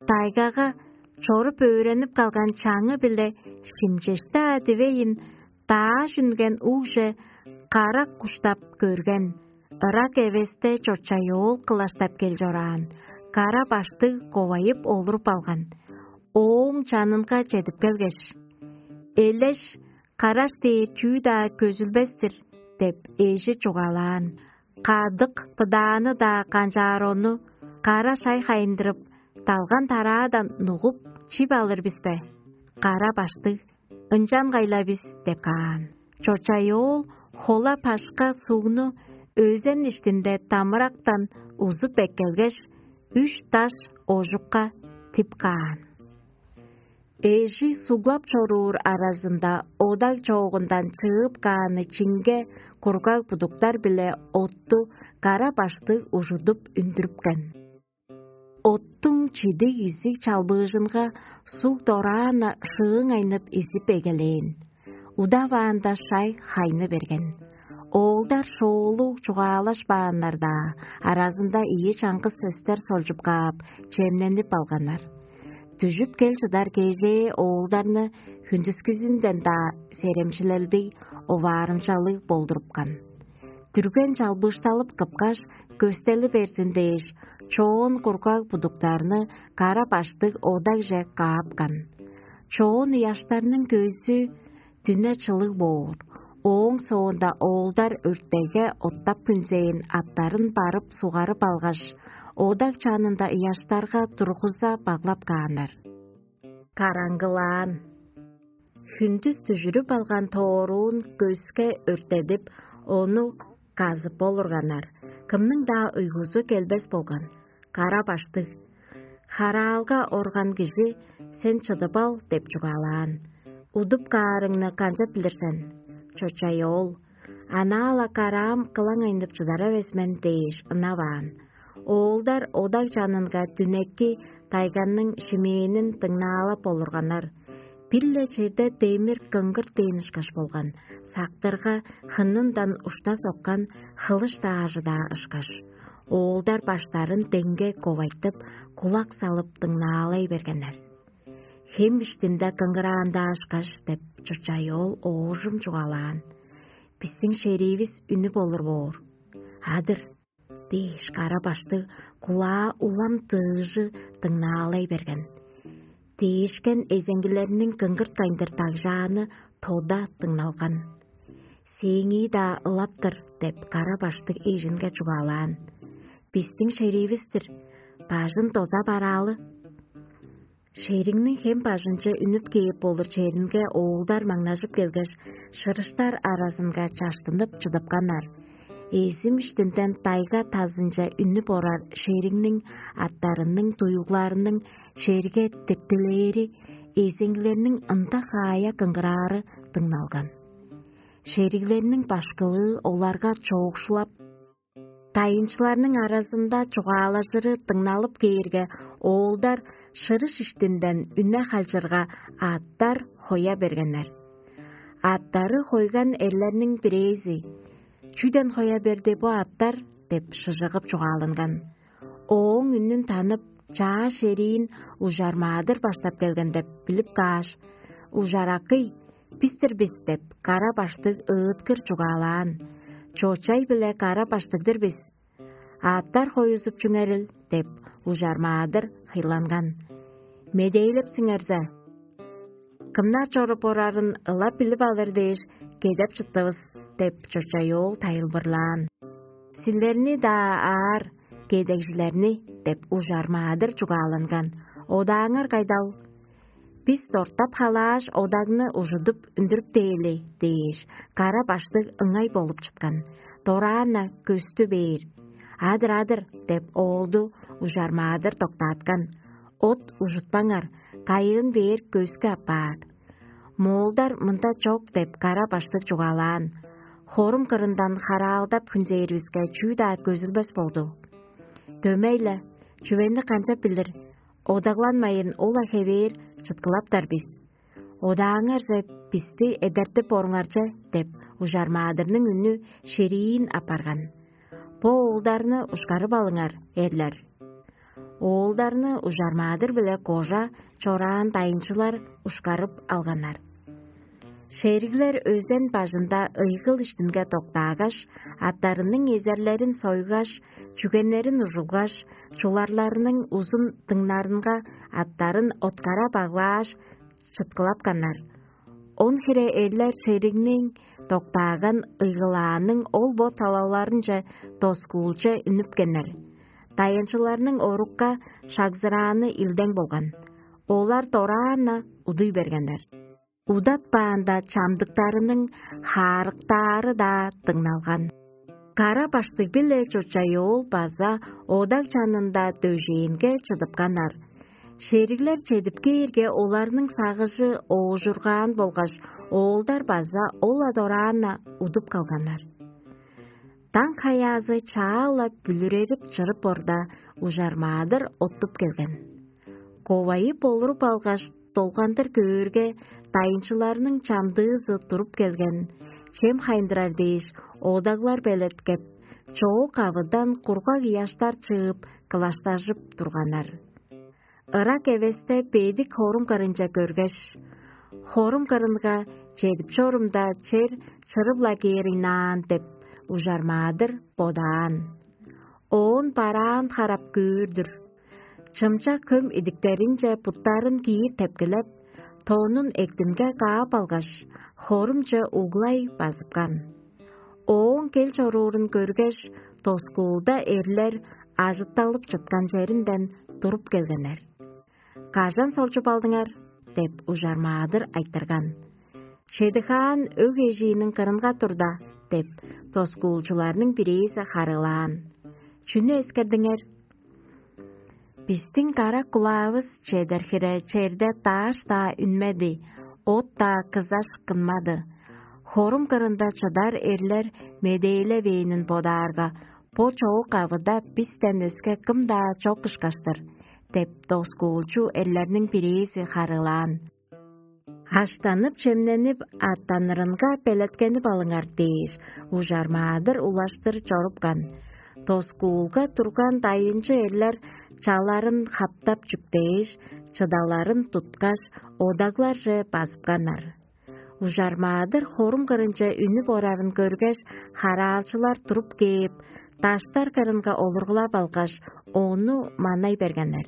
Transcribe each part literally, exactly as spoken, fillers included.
Тайгага чоруп өөренип калган чаңы-биле шимчешти-даа дивейн, дааш үнген угже карак куштап көрген, ырак эвесте чочай оол кылаштап кел чораан, кара баштыг ковайып олуруп алган. Ооң чанынга чедип келгеш: «Элеш, караш дээр чүү-даа көзүлбес-тир» – деп эжи чугаалаан. Кадык быдааны-даа канчаар ону, кара шай хайындырып, далган-тараадан нугуп, чип алыр бис бе? Кара баштыг: «Ынчангай-ла бис» – деп каан. Чочай оол хола-пашка сугну өзен иштинде дамырактан узуп эккелгеш, үш даш ожукка тип каан. Эжи суглап чоруур аразында одаг чоогундан чыып кааны чинге кургаг будуктар-биле отту кара баштыг ужудуп үндүрүпкен. Оттуң чидиг изиг чалбыыжынга суг дораан-на шыыңайнып изип эгелээн. Удаваанда шай хайны берген. Оолдар шоолуг чугаалашпааннар-даа, аразында ийи чаңгыс сөстер солчуп каап, чемненип алганнар. Дүжүп кел чыдар кежээ оолдарны хүндүскүзүнден-даа серемчилелдиг, оваарымчалыг болдурупкан. Дүрген чалбыышталып кыпкаш, көстели берзин дээш, чоон кургаг будуктарны кара баштыг одагже каапкан. Чоон ыяштарның көзү дүне чылыг боор. Ооң соонда оолдар өртеге оттап хүнзээн аттарын барып сугарып алгаш, одаг чанында ыяштарга тургуза баглап кааннар. Караңгылаан. Хүндүс дүжүрүп алган тооруун көске өртедип, ону казып болурганнар. Кымның-даа уйгузу келбес болган. Кара баштыг: «Хараалга орган кижи, сен чыдып ал» – деп чугаалаан. «Удуп каарыңны канчап билир сен?» Чочай оол: «Анаа-ла караам кылаңайнып чыдар эвес мен» – дээш ынаваан. Оолдар одаг чанынга дүнекки тайганның шимээнин дыңнаалап олурганнар. Бир-ле черде демир кыңгырт дээн ышкаш болган, сактырга хынындан ушта соккан хылыш даажы-даа ышкаш. Оолдар баштарын деңге ковайтып, кулак салып дыңнаалай бергеннер. «Хем иштинде кыңгыраан-даа ышкаш» – деп, чочай оол оожум чугаалаан. «Бистиң шериивис үнүп олур боор». «Адыр» – дээш, кара баштыг кулаа улам дыыжы дыңнаалай берген. Дээшкен эзеңгилерниң кыңгырт кайындыр дагжааны тода дыңналган. «Сээңии-даа ылап-тыр» – деп, кара баштыг эжинге чугаалаан. «Бистиң шериивис-тир, бажын доза бараалы». Шериңниң хем бажынче үнүп кээп болур черинге оолдар маңнажып келгеш, шырыштар аразынга чаштынып чыдыпканнар. Эзим иштинден дайга тазынче үнүп орар шериңниң аттарының дуюгларының черге типтилээри, эзеңгилерниң ында хаая кыңгыраары дыңналган. Шериглерниң башкылыы оларга чоокшулап, дайынчыларның аразында чугаалажыры дыңналып кээрге, оолдар шырыш иштинден үне халчырга, аттар хоя бергеннер. Аттары хойган эрлерниң бирээзи: «Чүден хоя берди бо аттар?» – деп шыжыгып чугааланган. Ооң үнүн танып, чаа шериин ужар маадыр баштап келген деп билип кааш: «Ужаракый, бис-тир бис» – деп, кара баштыг ыыткыр чугаалаан. «Чочай-биле кара баштыг-дыр бис. Аъттар хоюзуп чүңерил» – деп, ужар маадыр хыйланган. «Медээлеп сиңерзе, кымнар чоруп орарын ылап билип алыр дээш, кедеп чыттывыс» – деп, чочай оол тайылбырлаан. «Силерни-даа аар, кедегжилерни» – деп, ужар маадыр чугааланган. «Одааңар кайдал?» «Бис дортап халааш, одагны ужудуп үндүрүп дээли» – дээш, кара баштыг ыңай болуп чыткан. Дораан-на көстү бээр. «Адыр, адыр» – деп, оолду ужар маадыр доктааткан. «От ужутпаңар, кайыын бээр көскү апаар». «Моолдар мында чок» – деп, кара баштыг чугаалаан. «Хорум кырындан хараалдап хүнзээривиске чүү-даа көзүлбес болду. Дөмей-ле, чүвени канчап билир, одагланмайын ол-ла хевээр чыткылаптар бис. Одааңарже бисти эдертип оруңарже» – деп, ужар маадырның үнү шериин апарган. «Бо оолдарны ушкарып алыңар, эрлер». Оолдарны ужармаадыр-биле кожа чораан дайынчылар ушкарып алганнар. Шериглер өзен бажында ыйгыл иштинге доктаагаш, аттарының эзерлерин сойгаш, чүгеннерин ужулгаш, чуларларының узун дыңнарынга аттарын откара баглааш, чыткылапканнар. Он хире эрлер шеригниң доктааган ыйгылааның ол бо талаларынче доскуулче үнүпкеннер. Дайынчыларның орукка шагзырааны илдең болган. Олар дораан-на удуй бергеннер. Удатпаанда чамдыктарының хаарыктаары-даа дыңналган. Кара баштыг-биле чочай оол база одаг чанында дөжээнге чыдыпканнар. Шериглер чедип кээрге, оларның сагыжы оожургаан болгаш, оолдар база ол-ла дораан-на удуп калганнар. Даң хаяазы чаа-ла бүлүрерип чырып орда, ужармаадыр оттуп келген. Ковайы болуруп алгаш, долгандыр көөрге, дайынчыларның чамдыызы туруп келген, чем хайындырар дээш, одаглар белеткеп, чоок авыдан кургаг ыяштар чыып, кылаштажып турганнар. Ырак эвесте бедик хорум кырынче көргеш: «Хорум кырынга чедип чорумда, чер чырып-ла кээр ыйнаан» — деп, ужармаадыр бодаан. Оон бараан харап көөр-дүр. Чымчак хөм идиктеринче буттарын киир тепкилеп, тонун эктинге каап алгаш, хорумче углай базыпкан. Ооң кел чоруурун көргеш, доскуулда эрлер ажытталып чыткан черинден туруп келгеннер. «Кажан солчуп алдыңар?» — деп, ужармаадыр айтырган. «Чедихаан өг эжииниң кырынга турда» — деп, доскуулчуларның бирээзи харыылаан. «Чүнү эскердиңер?» «Бистиң карак кулаавыс чедер хире черде дааш-даа үнмеди, от-даа кызаш кынмады. Хорум кырында чыдар эрлер медээлевээнин бодаарга, бо чоок авыда бистен өске кым-даа чок ышкаш-тыр» — деп, доскуулчу эрлерниң бирээзи харыылаан. «Аштанып-чемненип, аттанырынга белеткенип алыңар» — дээш, ужармаадыр улаштыр чорупкан. Доскуулга турган дайынчы эрлер чаларын хаптап чүктээш, чыдаларын туткаш, одагларже базыпканнар. Ужармаадыр хорум кырынче үнүп орарын көргеш, хараалчылар туруп кээп, даштар кырынга олургулап алгаш, ону манай бергеннер.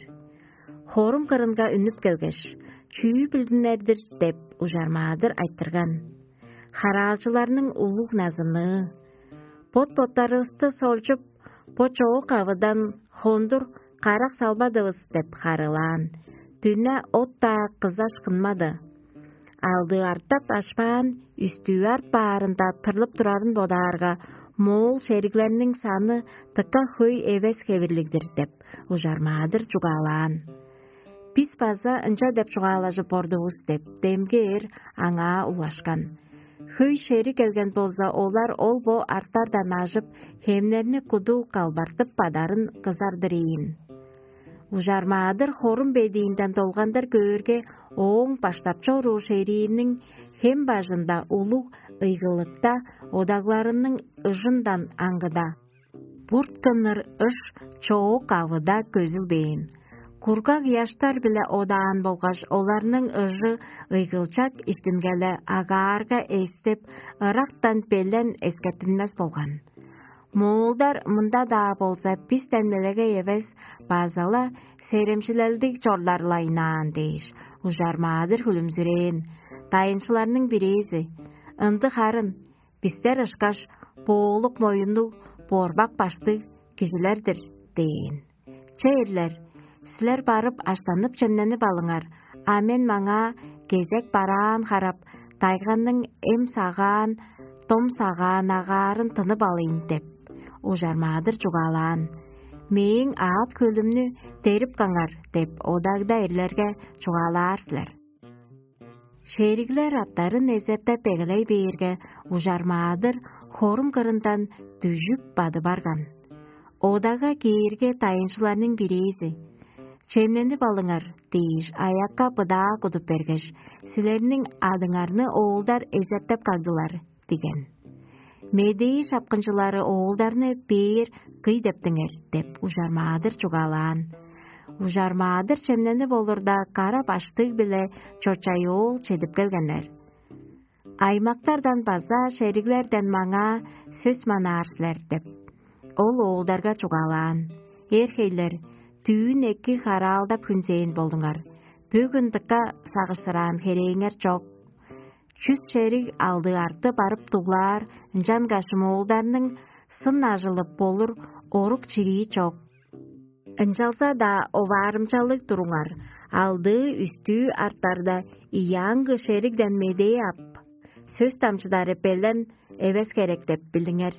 Хорум кырынга үнүп келгеш: «Чүү билдинер-дир?» — деп, ужармаадыр айтырган. Хараалчыларның улуг назыныы: «Бот-боттарывысты солчуп, бо чоок авыдан хондур карак салбадывыс» — деп харыылаан. «Дүне от-даа кызаш кынмады. Алдыы артап ашпаан, үстүү арт баарында тырлып турарын бодаарга, моол шериглерниң саны дыка хөй эвес хевирлиг-дир» — деп, ужармаадыр чугаалаан. «Бис база ынча деп чугаалажып ордувус» — деп, демги эр аңаа улашкан. «Хөй шериг келген болза, олар ол бо арттардан ажып, хемнерни куду калбартып бадарын кызар-дыр ийин». Ужармаадыр хорум бедиинден долгандыр көөрге, ооң баштап чоруур шерииниң хем бажында улуг ыйгылыкта одагларының ыжындан аңгыда. Бурт кынныр ыш чоок авыда көзүлбээн. Кургаг ыяштар-биле одаан болгаш, оларның ыжы ыйгылчак иштингеле агаарга эстеп, ырактан белен эскертинмес болган. «Моолдар мында-даа болза бистен мелегей эвес, база-ла серемчилелдиг чорлар-ла ыйнаан» — дээш, ужармаадыр хүлүмзүрээн. Дайынчыларның бирээзи: «Ындыг харын, бистер ышкаш боолук моюннуг, борбак баштыг кижилер-дир» — дээн. «Че, эрлер, силер барып, аштанып-чемненип алыңар, а мен маңаа кезек бараан харап, дайганның эм сагаан, дом сагаан агаарын тынып алыйн» — деп, ужармаадыр чугаалаан. «Мээң аът-хөлүмнү дерип каңар» — деп, одагда эрлерге чугаалаар силер. Шериглер аттарын эзертеп эгелей бээрге, ужармаадыр хорум кырындан дүжүп бады барган. Одага кээрге, дайынчыларның бирээзи: «Чемненип алыңар» — дээш, аякка быдаа кудуп бергеш: «Силерниң адыңарны оолдар эзертеп кагдылар» — диген. Медээ шапкынчылары оолдарны бээр кый дептиңер деп, ужармаадыр чугаалаан. Ужар-маадыр чемненип олурда, кара баштыг биле чочай оол чедип келгеннер. Аймактардан база шериглерден маңаа сөс манаар силер деп, ол оолдарга чугаалаан: «Эр-хейлер, дүүн эки хараалдап хүнзээн болдуңар. Бөгүн дыка сагышсыраан херээңер чок. Чүс шериг алды арты барып дуглаар, ынчангаш моолдарның сын ажылып болур орук чирии чок. Ынчалза-даа оваарымчалыг туруңар, алдыы-үстүү артарда, ийи аңгы шеригден медээ ап, сөс дамчыдары белен эвес херек деп билиңер.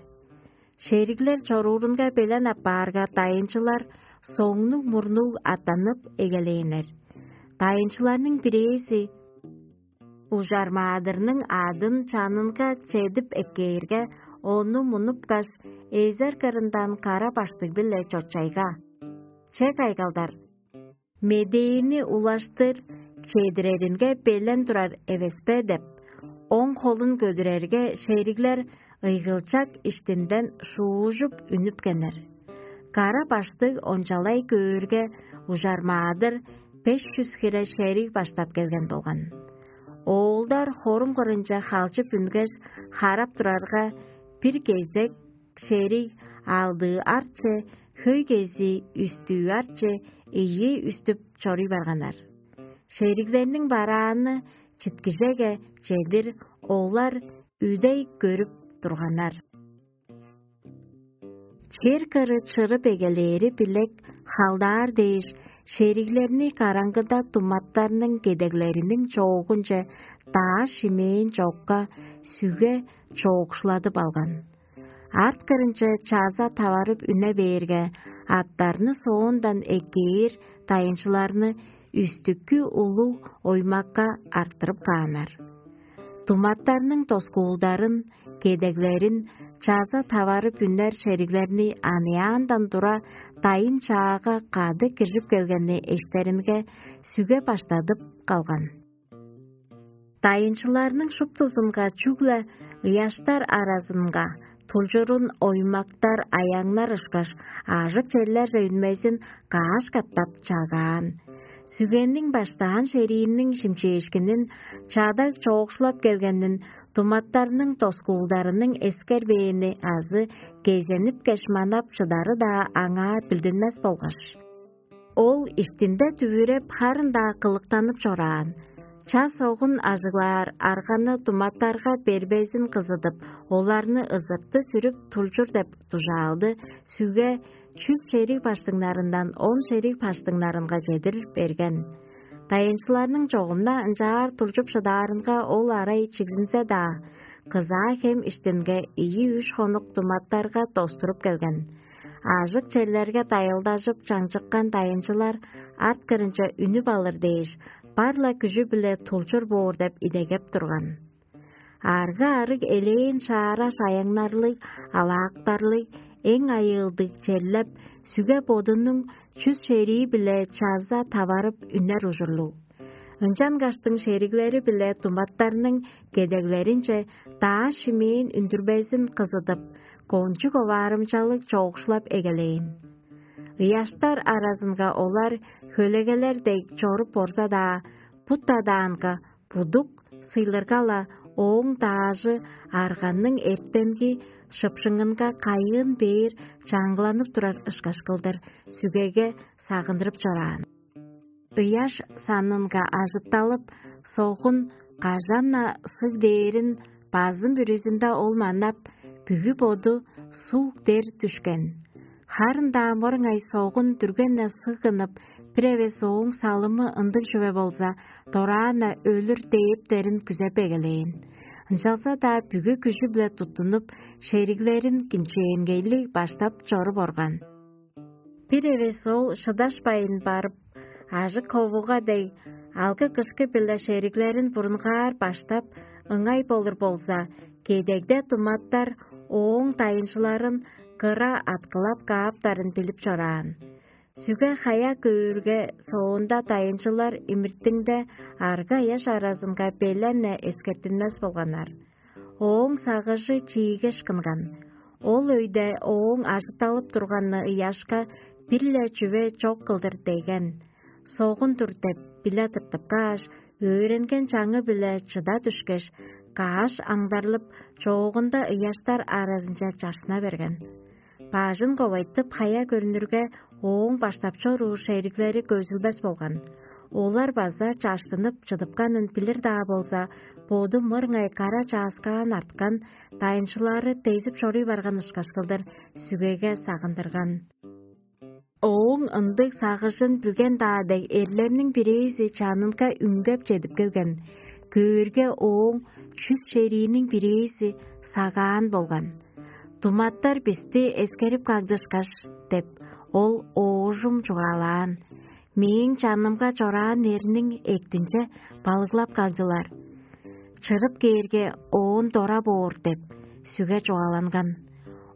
Шериглер чоруурунга белен аппаарга, дайынчылар соңнуг-мурнуг аттанып эгелээннер. Дайынчыларның бирээзи ужар-маадырның адын чанынга чедип эккээрге, ону мунупкаш, эзер кырындан кара баштыг-биле чочайга: «Че кайгалдар, медээни улаштыр чедиреринге белен турар эвеспе?» — деп, оң холун көдүрерге, шериглер ыйгылчак иштинден шуужуп үнүпкеннер. Кара баштыг ончалай көөрге, ужар-маадыр беш чүс хире шериг баштап келген болган. Оолдар хорум кырынче халчып үнгеш, харап турарга, бир кезек шериг алдыы арче, хөй кези үстүү арче ийи үстүп чоруй барганнар. Шериглерниң барааны читкижеге чедир олар үдей көрүп турганнар. Чер кыры чырып эгелээри билек халдаар дээш, шериглерни караңгыда туматтарның кедеглериниң чоогунче дааш-шимээн чокка сүге чоокшуладып алган. Арт кырынче чаза таварып үне бээрге, аттарны соондан эккээр дайынчыларны үстүккү улуг оймакка арттырып кааннар. Туматтарның тоскуулдарын, кедеглерин чаза таварып үнер шериглерни аныяандан тура дайын чаага кады киржип келгенни эштеринге сүге баштадып калган. Дайынчыларның шуптузунга чүгле ыяштар аразынга тулчурун оймактар, аяңнар ышкаш, аажок черлерже үнмезин каш катап чагаан. Сүгенниң баштаан шериинниң шимчээшкинин, чадаг чоокшулап келгенин туматтарның тоскуулдарының эскербээни азы кезенип кеш манап чыдары-даа аңаа билдинмес болгаш, ол иштинде дүвүреп, харын-даа кылыктанып чораан. Час огун ажыглаар арганы туматтарга бербезин кызыдып, оларны ызырты сүрүп тулчур деп дужаалды сүге чүс шериг баштыңнарындан он шериг баштыңнарынга чедир берген. Дайынчыларның чогумна ынчаар тулчуп шыдаарынга ол арай чигзинзе-даа, кызаа хем иштинге ийи-үш хонук туматтарга достуруп келген. Аажык черлерге дайылдажып чаңчыккан дайынчылар арт кырынче үнүп алыр дээш, бар-ла күжү-биле тулчур боор деп идегеп турган. Арга-арыг элээн шаара шаяңнарлыг, алаактарлыг, эң айыылдыг черлеп, сүге бодунуң чүс шерии-биле чаза таварып үнер ужурлуг. Ынчангаштың шериглери-биле туматтарның кедеглеринче дааш-шимээн үндүрбезин кызыдып, кончуг оваарымчалыг чоокшулап эгелээн. Ыяштар аразынга олар хөлегелер дег чоруп орза-даа, бут адаанга будук сыйлырга-ла, ооң даажы арганның эртенги шыпшыңынга кайыын бээр чаңгыланып турар ышкаш кылдыр сүгеге сагындырып чораан. Ыяш санынга ажытталып, согун кажан-на сыг дээрин базым бүрүзүнде ол манап, бүгү боду суг дер дүшкен. Харын-даа мырыңай согун дүрген-не сыгынып, бир эвес ооң салымы ындыг чүве болза, дораан-на өлүр дээптерин күзеп эгелээн. Ынчалза-даа бүгү күжү-биле туттунуп, шериглерин кинчээнгейлиг баштап чоруп орган. Бир эвес ол шыдашпайн барып, ажык ховуга дег, алгы-кышкы-биле шериглерин бурунгаар баштап, ыңай болур болза, кедегде туматтар ооң дайынчыларын кыра аткылап кааптарын билип чораан. Сүге-хая көөрге, соонда дайынчылар имиртиңде арга-ыяш аразынга белен-не эскертинмес болганнар. Ооң сагыжы чиигеш кынган. Ол өйде ооң ажытталып турганны ыяшка бир-ле чүве чок кылдыр деген. Согун-дур деп биле тыртып кааш, өөренген чаңы-биле чыда дүшкеш, каш аңдарлып, чоогунда ыяштар аразынче чашсына берген. Бажын ковайтып, хая көрнүрге, ооң баштап чоруур шериглери көзүлбес болган. Олар база чаштынып чыдыпканын билир-даа болза, боду мырыңай кара чааскаан арткан, дайынчылары дезип чоруй барган ышкаш кылдыр сүгеге сагындырган. Ооң ындыг сагыжын билген-даа дег, эрлерниң бирээзи чанынга үнгеп чедип келген. Көөрге, ооң чүс шерийниң бирээзи сагаан болган. «Думаттар бисти эскерип кагдышкаш» — деп, ол оожум чугаалаан. «Мээң чанымга чораан эрниң эктинче балыглап кагдылар. Чырып кээрге, оон дора боор» — деп, сүге чугааланган.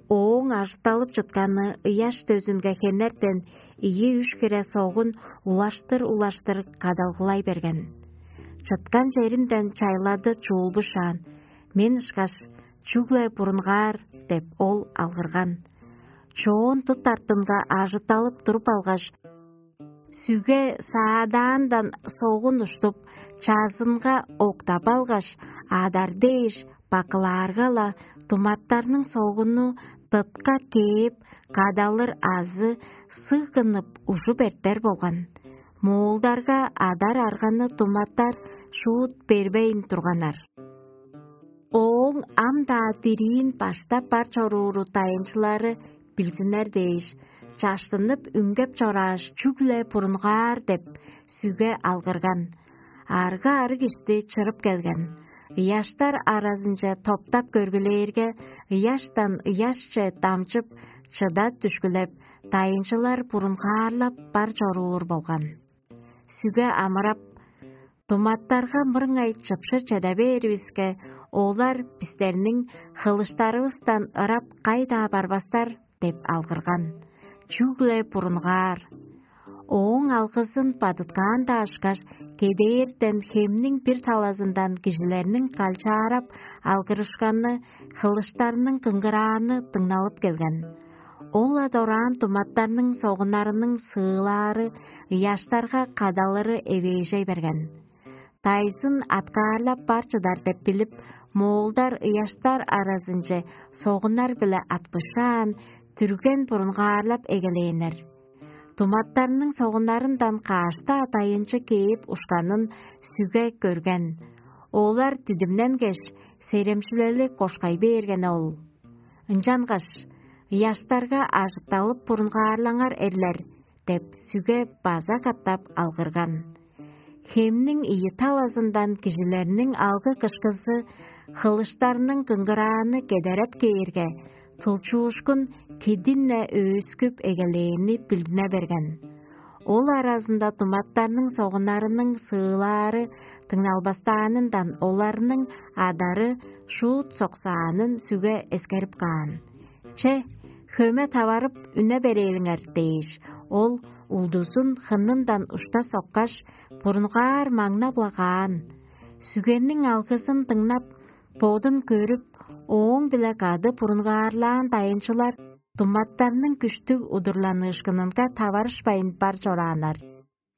Ооң ажытталып чытканы ыяш дөзүнге хенертен ийи-үш хире согун улаштыр-улаштыр кадалгылай берген. Чыткан черинден чайлады чуулбушаан: «Мен ышкаш, чүгле бурунгаар» — деп, ол алгырган. Чоон дыт артынга ажытталып туруп алгаш, сүге саадаандан согун уштуп, чазынга октап алгаш, адар дээш бакылаарга-ла, думаттарның согуну дытка кээп, кадалыр азы сыгынып ужуп эртер болган. Моолдарга адар арганы думаттар шуут бербейн турганнар. Ооң ам-даа дириин баштап бар чорууру дайынчылары билзиннер дээш, чаштынып үнгеп чорааш, чүгле бурунгаар деп, сүге алгырган. Арга-арыг ишти чырып келген. Ыяштар аразынче топтап көргүлээрге, ыяштан ыяшче дамчып, чыда дүшкүлеп, дайынчылар бурунгаарлап бар чоруур болган. Сүге амырап: «Думаттарга мырыңай чыпшыр чеде бээривиске, олар бистерниң хылыштарывыстан ырап кай-даа барбастар» — деп алгырган. Чүгле бурунгаар. Ооң алгызын бадыткаан-даа ышкаш, кедээрден хемниң бир талазындан кижилерниң калчаарап алгырышканы, хылыштарның кыңгырааны дыңналып келген. Ол-ла дораан думаттарның согуннарының сыылаары, ыяштарга кадалыры эвээжей берген. Дайзын аткаарлап бар чыдар деп билип, моолдар ыяштар аразынче согуннар-биле атпышаан, дүрген бурунгаарлап эгелээннер. Думаттарның согуннарындан каш-даа дайынчы кээп ушканын сүге көрген. Олар дидимненгеш, серемчилели кошкай бээрген ол. Ынчангаш: «Ыяштарга ажытталып бурунгаарлаңар, эрлер» — деп, сүге база катап алгырган. Хемниң ийи талазындан кижилерниң алгы-кышкызы, хылыштарның кыңгырааны кедереп кээрге, тулчуушкун кидин-не өөскүп эгелээни билдине берген. Ол аразында думаттарның согуннарының сыылаары дыңналбастаанындан оларның адары шуут соксаанын сүге эскерип каан. «Че, хөме таварып, үне берээлиңер» — дээш, ол улдузун хынындан ушта соккаш, бурунгаар маңнап-ла каан. Сүгенниң алгызын дыңнап, бодун көрүп, ооң-биле кады бурунгаарлаан дайынчылар думаттарның күштүг удурланыышкынынга таварышпайн бар чорааннар.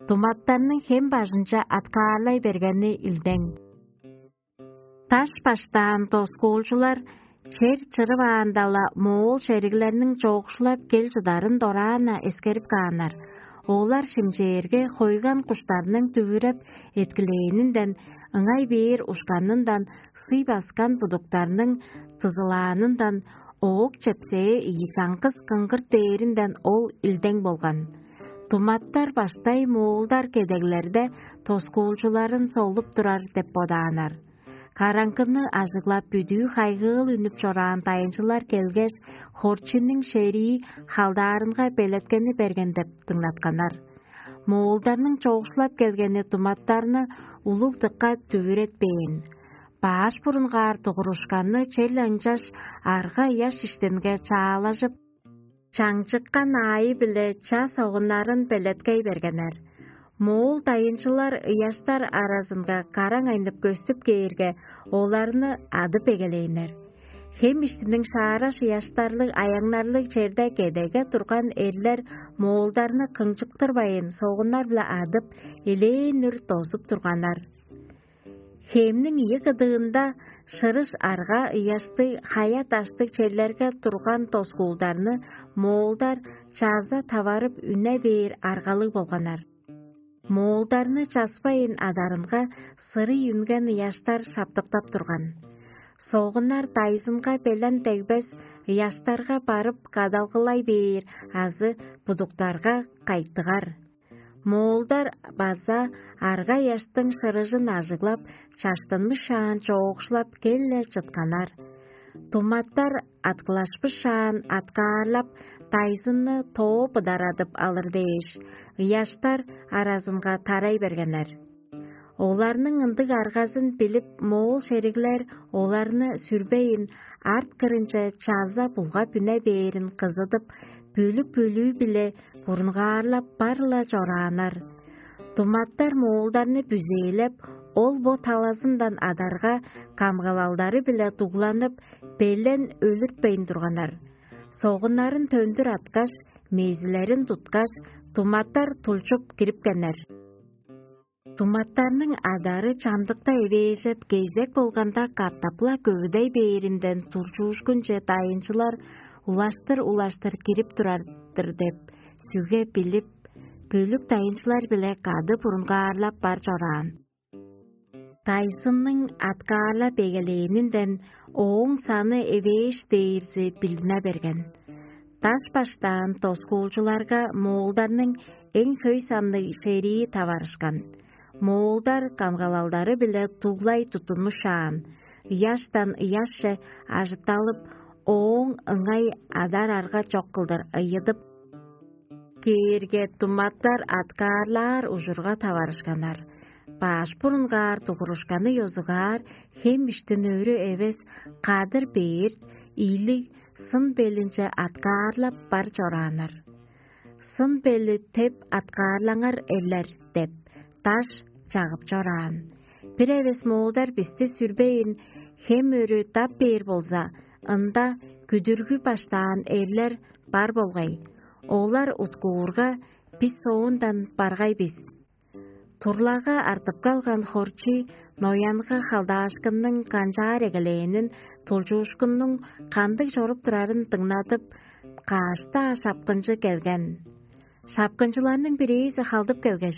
Думаттарның хем бажынче аткаарлай бергени илдең. Даш баштаан доскуулчулар чер чырываанда-ла, моол шериглерниң чоокшулап кел чыдарын дораан-на эскерип кааннар. Олар шимчээрге, хойган куштарның дүвүреп эткилээнинден, ыңай бээр ушканындан, сый баскан будуктарның дызылаанындан, оок чепсээ ийи чаңгыс кыңгырт дээринден ол илдең болган. Думаттар баштай моолдар кедеглерде тоскуулчуларын солуп турар деп бодааннар. Караңгыны ажыглап, бүдүү хайгыыл үнүп чораан дайынчылар келгеш, хорчуннуң шерии халдаарынга белеткени берген деп дыңнатканнар. Моолдарның чоокшулап келгени думаттарны улуг дыкка дүвүретпээн. Баш бурунгаар дугурушканны чел ынчаш арга ыяш иштинге чаалажып, чаңчыккан аайы-биле ча согуннарын белеткей бергеннер. Моол дайынчылар ыяштар аразынга караң айнып көстүп кээрге, оларны адып эгелээннер. Хем иштиниң шаараш ыяштарлыг аяңнарлыг черде кедеге турган эрлер моолдарны кыңчыктырбайн, согуннар-биле адып, элээн үр дозуп турганнар. Хемниң ийи кыдыында шырыш арга ыяштыг, хая-даштыг черлерге турган доскуулдарны моолдар чаза таварып үне бээр аргалыг болганнар. Моолдарны часпайын адарынга сырый үнген ыяштар шаптыктап турган. Согуннар дайзынга белен дегбес ыяштарга барып кадалгылай бээр азы будуктарга кайтыгар. Моолдар база арга ыяштың шырыжын ажыглап, чаштынмышаан чоокшулап кел-ле чытканнар. Туматтар аткылашпышаан аткаарлап, дайзынны тоо быдарадып алыр дээш, ыяштар аразынга тарай бергеннер. Оларның ындыг аргазын билип, моол шериглер оларны сүрбейн, арт кырынче чаза булгап үне бээрин кызыдып, бөлүк-бөлүү-биле бурунгаарлап бар-ла чорааннар. Туматтар моолдарны бүзээлеп, ол бо талазындан адарга камгалалдары-биле дугланып, белен өлүртпейн турганнар. Согуннарын төндүр аткаш, мезилерин туткаш, туматтар тулчуп кирипкеннер. Туматтарның адары чамдыкта эвээжеп, кезек болганда катап-ла көвүдей бээринден тулчуушкунче дайынчылар улаштыр-улаштыр кирип турар-дыр деп, сүге билип, бөлүк дайынчылар-биле кады бурунгаарлап бар чораан. Дайзынның аткаарлап эгелээнинден ооң саны эвээш дээрзи билдине берген. Даш баштаан доскуулчуларга моолдарның эң хөй санныг шерии таварышкан. Моолдар камгалалдары-биле дуглай туттунмушаан, ыяштан ыяшче ажытталып, ооң ыңай адар-арга чок кылдыр ыйыдып кээрге, туматтар аткаарлаар ужурга таварышканнар. Баш бурунгаар дугурушканы ёзугаар хем иштин өрү эвес, кадыр бээрт, ийлиг, сын белинче аткаарлап бар чорааннар. «Сын бели теп аткаарлаңар, эрлер» – деп, даш чагып чораан. Бир эвес моолдар бисти сүрбейн, хем өрү дап бээр болза, ында күдүргү баштаан эрлер бар болгай. Олар уткуурга, бис соондан баргай бис. Турлага артып калган хорчий Ноянга халдаашкынның канчаар эгелээнин, тулчуушкуннуң кандыг чоруп турарын дыңнадып, каш-даа шапкынчы келген. Шапкынчыларның бирээзи халдып келгеш: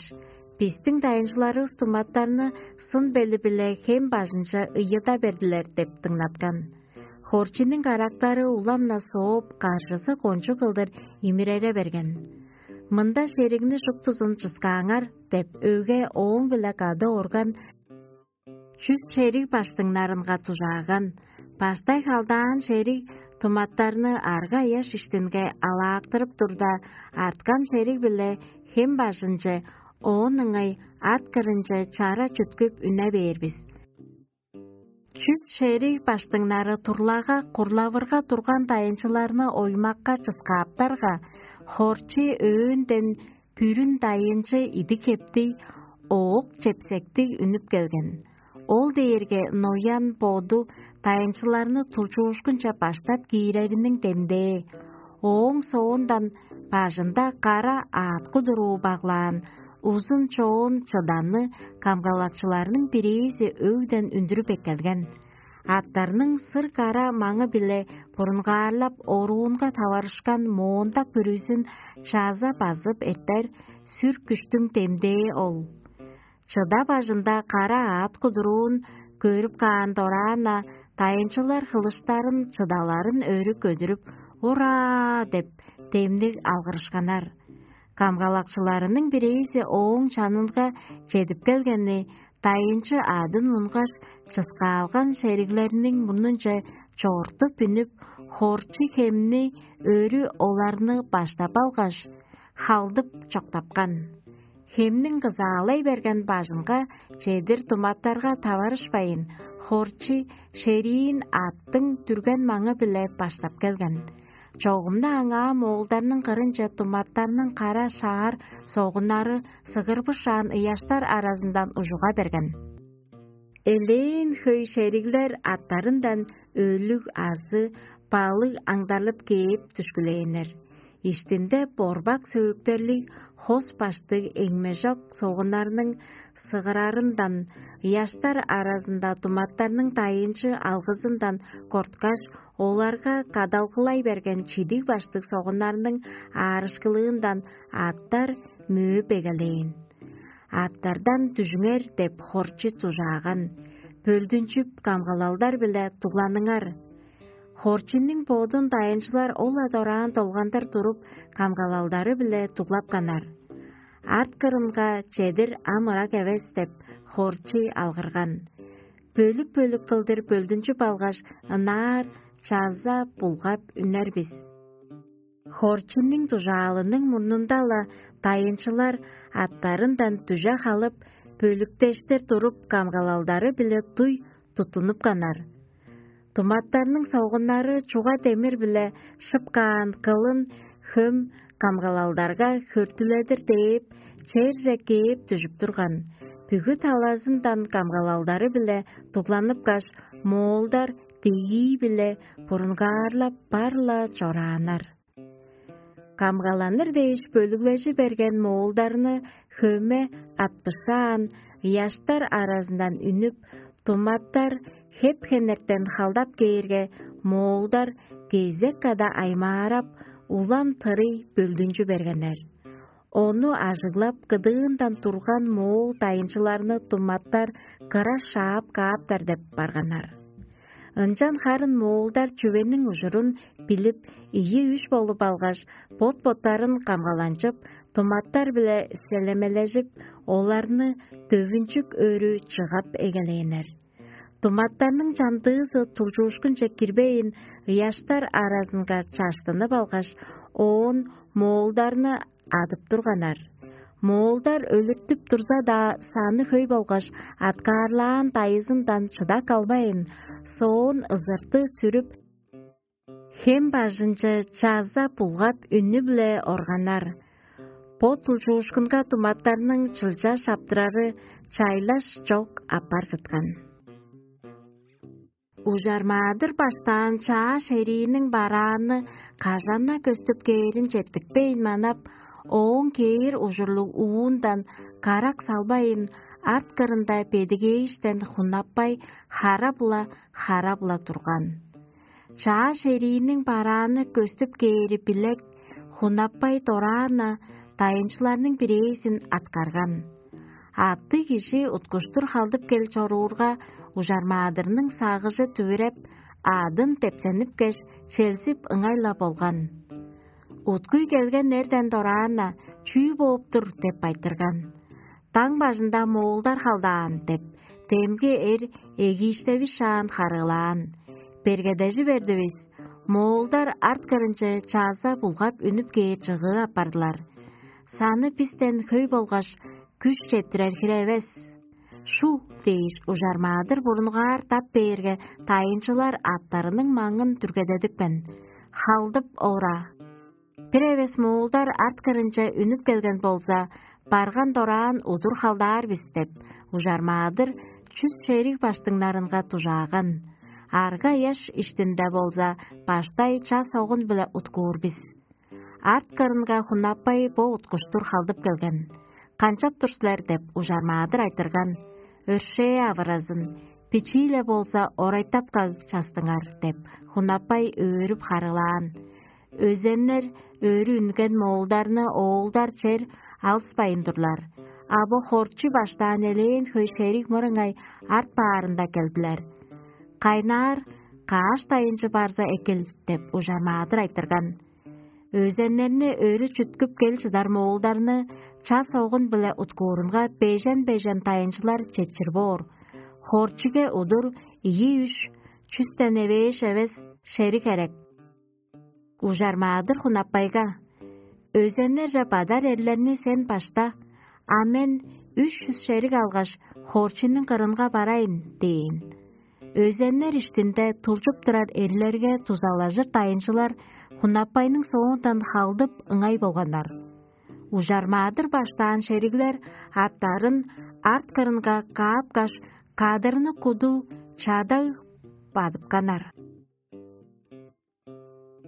«Бистиң дайынчыларывыс туматтарны сын бели-биле хем бажынче ыйыда бердилер» – деп дыңнаткан. Хорчиниң карактары улам-на сооп, каржызы кончуг кылдыр имирере берген. «Мында шеригни шуптузун чыскааңар» – деп, өге ооң-биле кады орган чүс шериг баштыңнарынга дужааган. Баштай халдаан шериг туматтарны арга-ыяш иштинге алаактырып турда, арткан шериг-биле хем бажынче, оон ыңай ат кырынче чара чүткүп үне бээр бис. Чүс шериг баштыңнары турлага курлавырга турган дайынчыларны оймакка чыскааптарга, хорчий өөөнден бүрүн дайынчы идик-хептиг, оок чепсектиг үнүп келген. Ол дээрге Ноян боду дайынчыларны тулчуушкунче баштап киирериниң демдээ. Ооң соондан бажында кара аъткы-дуруу баглаан узун чоон чыданы камгалакчыларның бирээзи өгден үндүрүп эккелген. Аттарның сыр-кара маңы-биле бурунгаарлап, оруунга таварышкан моондак бүрүзүн чаза базып эртер сүр күштүң демдээ ол. Чыда бажында кара аът кудуруун көрүп каан дораан-на, дайынчылар хылыштарын, чыдаларын өрү көдүрүп: «Ура!» – деп, демниг алгырышканнар. Камгалакчыларының бирээзи ооң чанынга чедип келгени, дайынчы аъдын мунгаш, чыскаалган шериглерниң мурнунче чортуп үнүп, хорчу хемни өрү оларны баштап алгаш, халдып чоктапкан. Хемниң кызаалай берген бажынга чедир туматтарга таварышпайн, хорчу шериин аъттың дүрген маңы-биле баштап келген. Чогум-на аңаа моолдарның кырынче туматтарның кара шаар согуннары сыгырбышаан ыяштар аразындан ужуга берген. Элээн хөй шериглер аттарындан өлүг азы балыг аңдарлып кээп дүшкүлээннер. Иштинде борбак сөөктерлиг хос баштыг эңмежок согуннарның сыгырарындан, ыяштар аразында туматтарның дайынчы алгызындан корткаш, оларга кадалгылай берген чидиг баштыг согуннарның аарышкылыындан аттар мөөп эгелээн. Аттардан дүжүңер деп хорчу дужааган, бөлдүнчүп камгалалдар-биле дугланыңар. Хорчуннуң бодун дайынчылар ол-ла дораан долгандыр туруп, камгалалдары-биле дуглапканнар. Арт кырынга чедир ам ырак эвес деп, хорчу алгырган. Бөлүк-бөлүк кылдыр бөлдүнчүп алгаш, ынаар чаза булгап үнер бис. Хорчуннуң дужаалының мурнунда-ла дайынчылар аттарындан дүже халып, бөлүктештер туруп, камгалалдары-биле дуй туттунупканнар. Туматтарның согуннары чуга демир-биле шып каан кылын хөм камгалалдарга хөртүледир дээп, черже кээп дүжүп турган. Бүгү талазындан камгалалдары-биле дугланыпкаш, моолдар дегии-биле бурунгаарлап бар-ла чорааннар. Камгаланыр дээш бөлүглежи берген моолдарны хөме атпышаан, ыяштар аразындан үнүп, туматтар хеп-хенертен халдап кээрге, моолдар кезек када аймаарап, улам тырый бөлдүнчү бергеннер. Ону ажыглап, кыдыындан турган моол дайынчыларны туматтар кыра шаап кааптар деп барганнар. Ынчан харын моолдар чүвениң ужурун билип, ийи-үш болуп алгаш, бот-боттарын камгаланчып, туматтар-биле селемележип, оларны төвүнчүк өрү чыгап эгелээннер. Туматтарның чамдыызы тулчуушкунче кирбейн, ыяштар аразынга чаштынып алгаш, оон моолдарны адып турганнар. Моолдар өлүртүп турза-даа, саны хөй болгаш, аткаарлаан дайызындан чыдак албайн, соон ызырты сүрүп, хем бажынче чаза булгап үнү-биле органнар. Бо тулчуушкунга туматтарның чылча шаптырары чайлаш чок аппар чыткан. Ужармаадыр баштаан чаа шерииниң барааны кажан-на көстүп кээрин четтикпейн манап, ооң кээр ужурлуг уундан карак салбайын, арт кырында бедигээштен хунаппай, харап-ла, харап-ла турган. Чаа шерииниң барааны көстүп кээри билек, хунаппай дораан-на дайынчыларның бирээзин аткарган. Аъттыг кижи уткуштур халдып кел чоруурга, ужармаадырның сагыжы дүвүреп, аъдын депсенипкеш, челзип ыңай-ла болган. Уткуй келген эрден дораан-на: «Чүү бооп тур?» — деп айтырган. «Даң бажында моолдар халдаан» — деп, демги эр эгииштевишаан харыылаан. Бергедежи бердивис, моолдар арт кырынче чаза булгап үнүп кээр чыгыы апардылар. Саны бистен хөй болгаш, күш четтирер хире эвес. «Шу» — дээш, ужармаадыр бурунгаар дап бээрге, дайынчылар аттарының маңын дүргедедипкен. Халдып ора. Бир эвес моолдар арт кырынче үнүп келген болза, барган дораан удур халдаар бис деп, ужармаадыр чүс шериг баштыңнарынга дужааган. Арга ыяш иштинде болза, баштай ча согун-биле уткуур бис. Арт кырынга хунаппай бо уткуштур халдып келген. «Канчап тур силер?» — деп, ужармаадыр айтырган. «Өршээ авыразын, бичии-ле болза, орайтап каг частыңар» — деп, хунаппай өөрүп харыылаан. Өзеннер өрү үнген моолдарны оолдар чер алыспайн турлар. А бо хорчу баштаан элээн хөй шериг мырыңай арт баарында келдилер. «Кайнаар каш дайынчы барза экил» — деп, ужармаадыр айтырган. Өзеннерни өрү чүткүп кел чыдар моолдарны ча согун-биле уткуурунга бежен-бежен дайынчылар четчир боор. Хорчуге удур ийи-үш чүстен эвээш эвес шериг херек. Ужармаадыр хунаппайга: «Өзеннерже бадар эрлерни сен башта, а мен үш чүс шериг алгаш, хорчунуң кырынга барайын» — дээн. Өзеннер иштинде тулчуп турар эрлерге дузалажыр дайынчылар хунаппайның соондан халдып ыңай болганнар. Ужармаадыр баштаан шериглер аттарын арт кырынга каапкаш, кадырны куду чадаг бадыпканнар.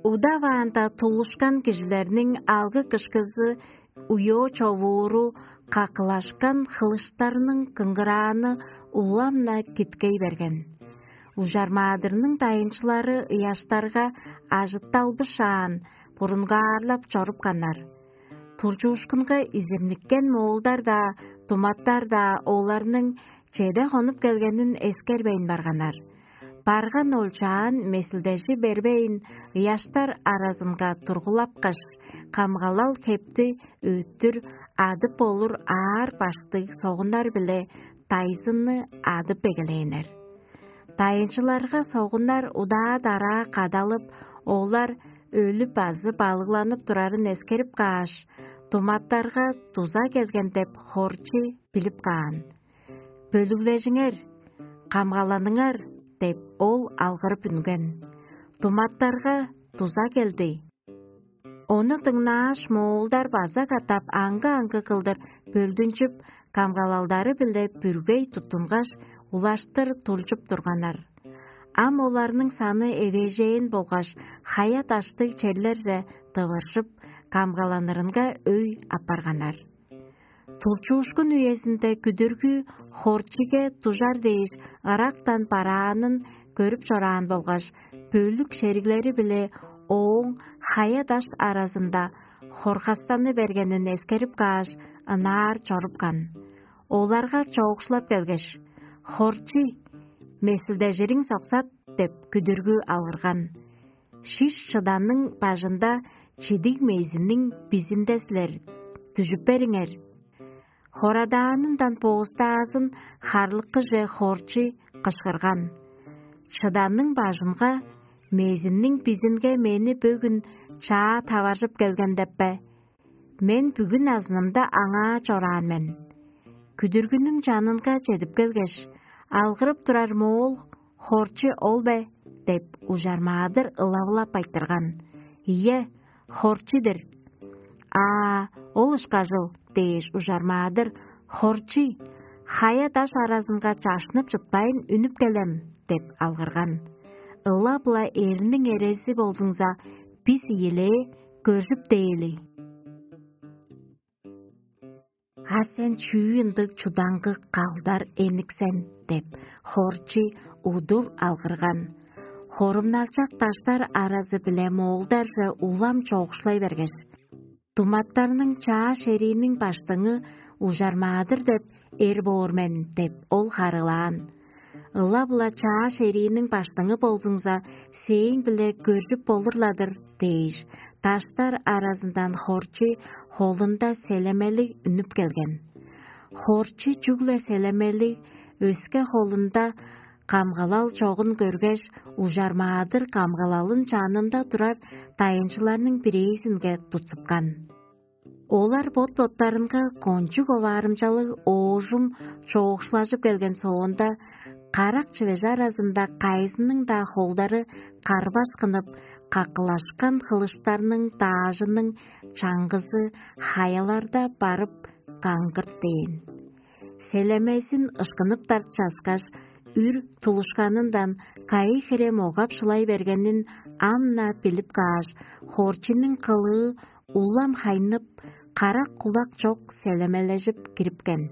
Удаваанда тулушкан кижилерниң алгы-кышкызы уйоо човууру какылашкан хылыштарның кыңгырааны улам-на киткей берген. Ужармаадырның дайынчылары ыяштарга ажытталбышаан, бурунгаарлап чорупканнар. Турчуушкунга изирниккен моолдар-даа, думаттар-даа оларның чеде хонуп келгенин эскербейн барганнар. Барган олчаан месилдежи бербейн, ыяштар аразынга тургулапкаш, камгалал хепти өттүр адып болур аар баштыг согуннар-биле дайзынны адып эгелээннер. Дайынчыларга согуннар удаа-дараа кадалып, олар өлүп азы балыгланып турарын эскерип кааш, думаттарга дуза келген деп хорчу билип каан. «Бөлүглежиңер, камгаланыңар» – деп, ол алгырып үнген. Думаттарга дуза келди. Ону дыңнааш, моолдар база катап аңгы-аңгы кылдыр бөлдүнчүп, камгалалдары-биле бүргей туттунгаш, улаштыр тулчуп турганнар. Ам оларның саны эвээжээн болгаш, хая-даштыг черлерже дывыржып, камгаланырынга өй апарганнар. Тулчуушкун үезинде күдүргү хорчиге дужар дээш ырактан бараанын көрүп чораан болгаш, бөлүк шериглери-биле ооң хая-даш аразында хоргастаны бергенин эскерип кааш, ынаар чорупкан. Оларга чоокшулап келгеш: «Хорчу, месилдежириң соксат» – деп күдүргү алгырган. «Шиш шыданның бажында чидиг мезинниң бизинде силер, дүжүп бериңер». Хорадаанындан боостаазын харлыккыже хорчу кышкырган: «Шыданның бажынга, мезинниң бизинге мени бөгүн чаа таваржып келген деп бе? Мен бүгүн азынымда аңаа чораан мен». Күдүргүнүң чанынга чедип келгеш: «Алгырып турар моол хорчу ол бе?» – деп, ужармаадыр ылавылап айтырган: «Ийе, хорчу-дур». «Аа, ол ышкажыл» – дээш, ужармаадыр: «Хорчу, хая-даш аразынга чашнып чытпайн үнүп келем» – деп алгырган. «Ылап-ла эрниң эрези болзуңза, бис ийилээ, көржүп дээли». «А сен чүү ындыг чудаңгы калдар эник сен?» – деп, хорчу удур алгырган. Хорумналчак даштар аразы-биле моолдарже улам чоокшулай бергеш: «Думаттарның чаа шерииниң баштыңы ужармаадыр деп эр боор мен» – деп, ол харыылаан. «Ылап-ла чаа шерииниң баштыңы болзуңза, сээң-биле көржүп болур-ла-дыр» – дээш, даштар аразындан хорчу холунда селемелиг үнүп келген. Хорчу чүгле селемелиг, өске холунда камгалал чогун көргеш, ужармаадыр камгалалын чанында турар дайынчыларның бирээзинге тутсупкан. Олар бот-боттарынга кончуг оваарымчалыг оожум чоокшулажып келген соонда, карак чивеш аразында кайызының-даа холдары карбаш кынып, какылашкан хылыштарның даажының чаңгызы хаяларда барып каңгырт дээн. Селемезин ышкыныптар часкаш, үр тулушканындан кайы хире могап шылай бергенин ам-на билип кааш, хорчунуң кылыы улам хайнып, карак-кулак чок селемележип кирипкен.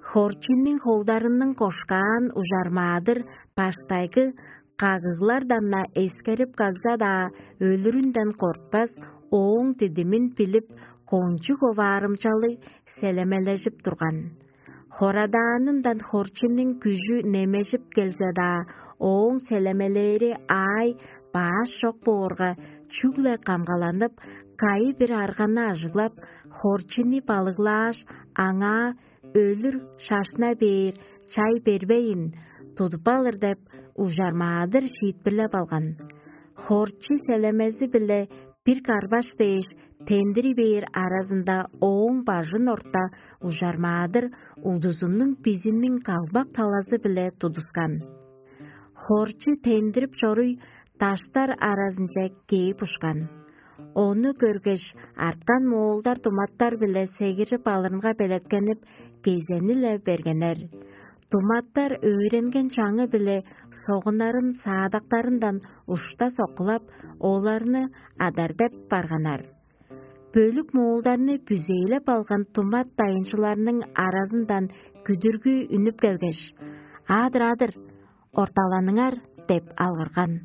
Хорчунуң холдарының кошкаан ужармаадыр баштайгы кагыглардан-на эскерип кагза-даа, өлүрүнден кортпас, ооң дидимин билип, кончуг оваарымчалыг селемележип турган. Хорадаанындан хорчунуң күжү немежип келзе-даа, ооң селемелээри аай баш чок боорга, чүгле камгаланып, кайы-бир арганы ажыглап, хорчуну балыглааш, аңаа өлүр шашна бээр чай бербейн, тудуп алыр деп, ужармаадыр шиитпирлеп алган. Хорчу селемези-биле бир карбаш дээш тендири бээр аразында ооң бажын орта ужармаадыр удузунуң бизиниң калбак талазы-биле тудускан. Хорчу тендирип чоруй даштар аразынче кээп ушкан. Ону көргеш, арткан моолдар думаттар-биле сегиржип алырынга белеткенип, кезени-ле бергеннер. Туматтар өөренген чаңы-биле согуннарын саадактарындан ушта соккулап, оларны адар деп барганнар. Бөлүк моолдарны бүзээлеп алган тумат дайынчыларның аразындан күдүргү үнүп келгеш: «Адыр-адыр, орталаныңар!» – деп алгырган.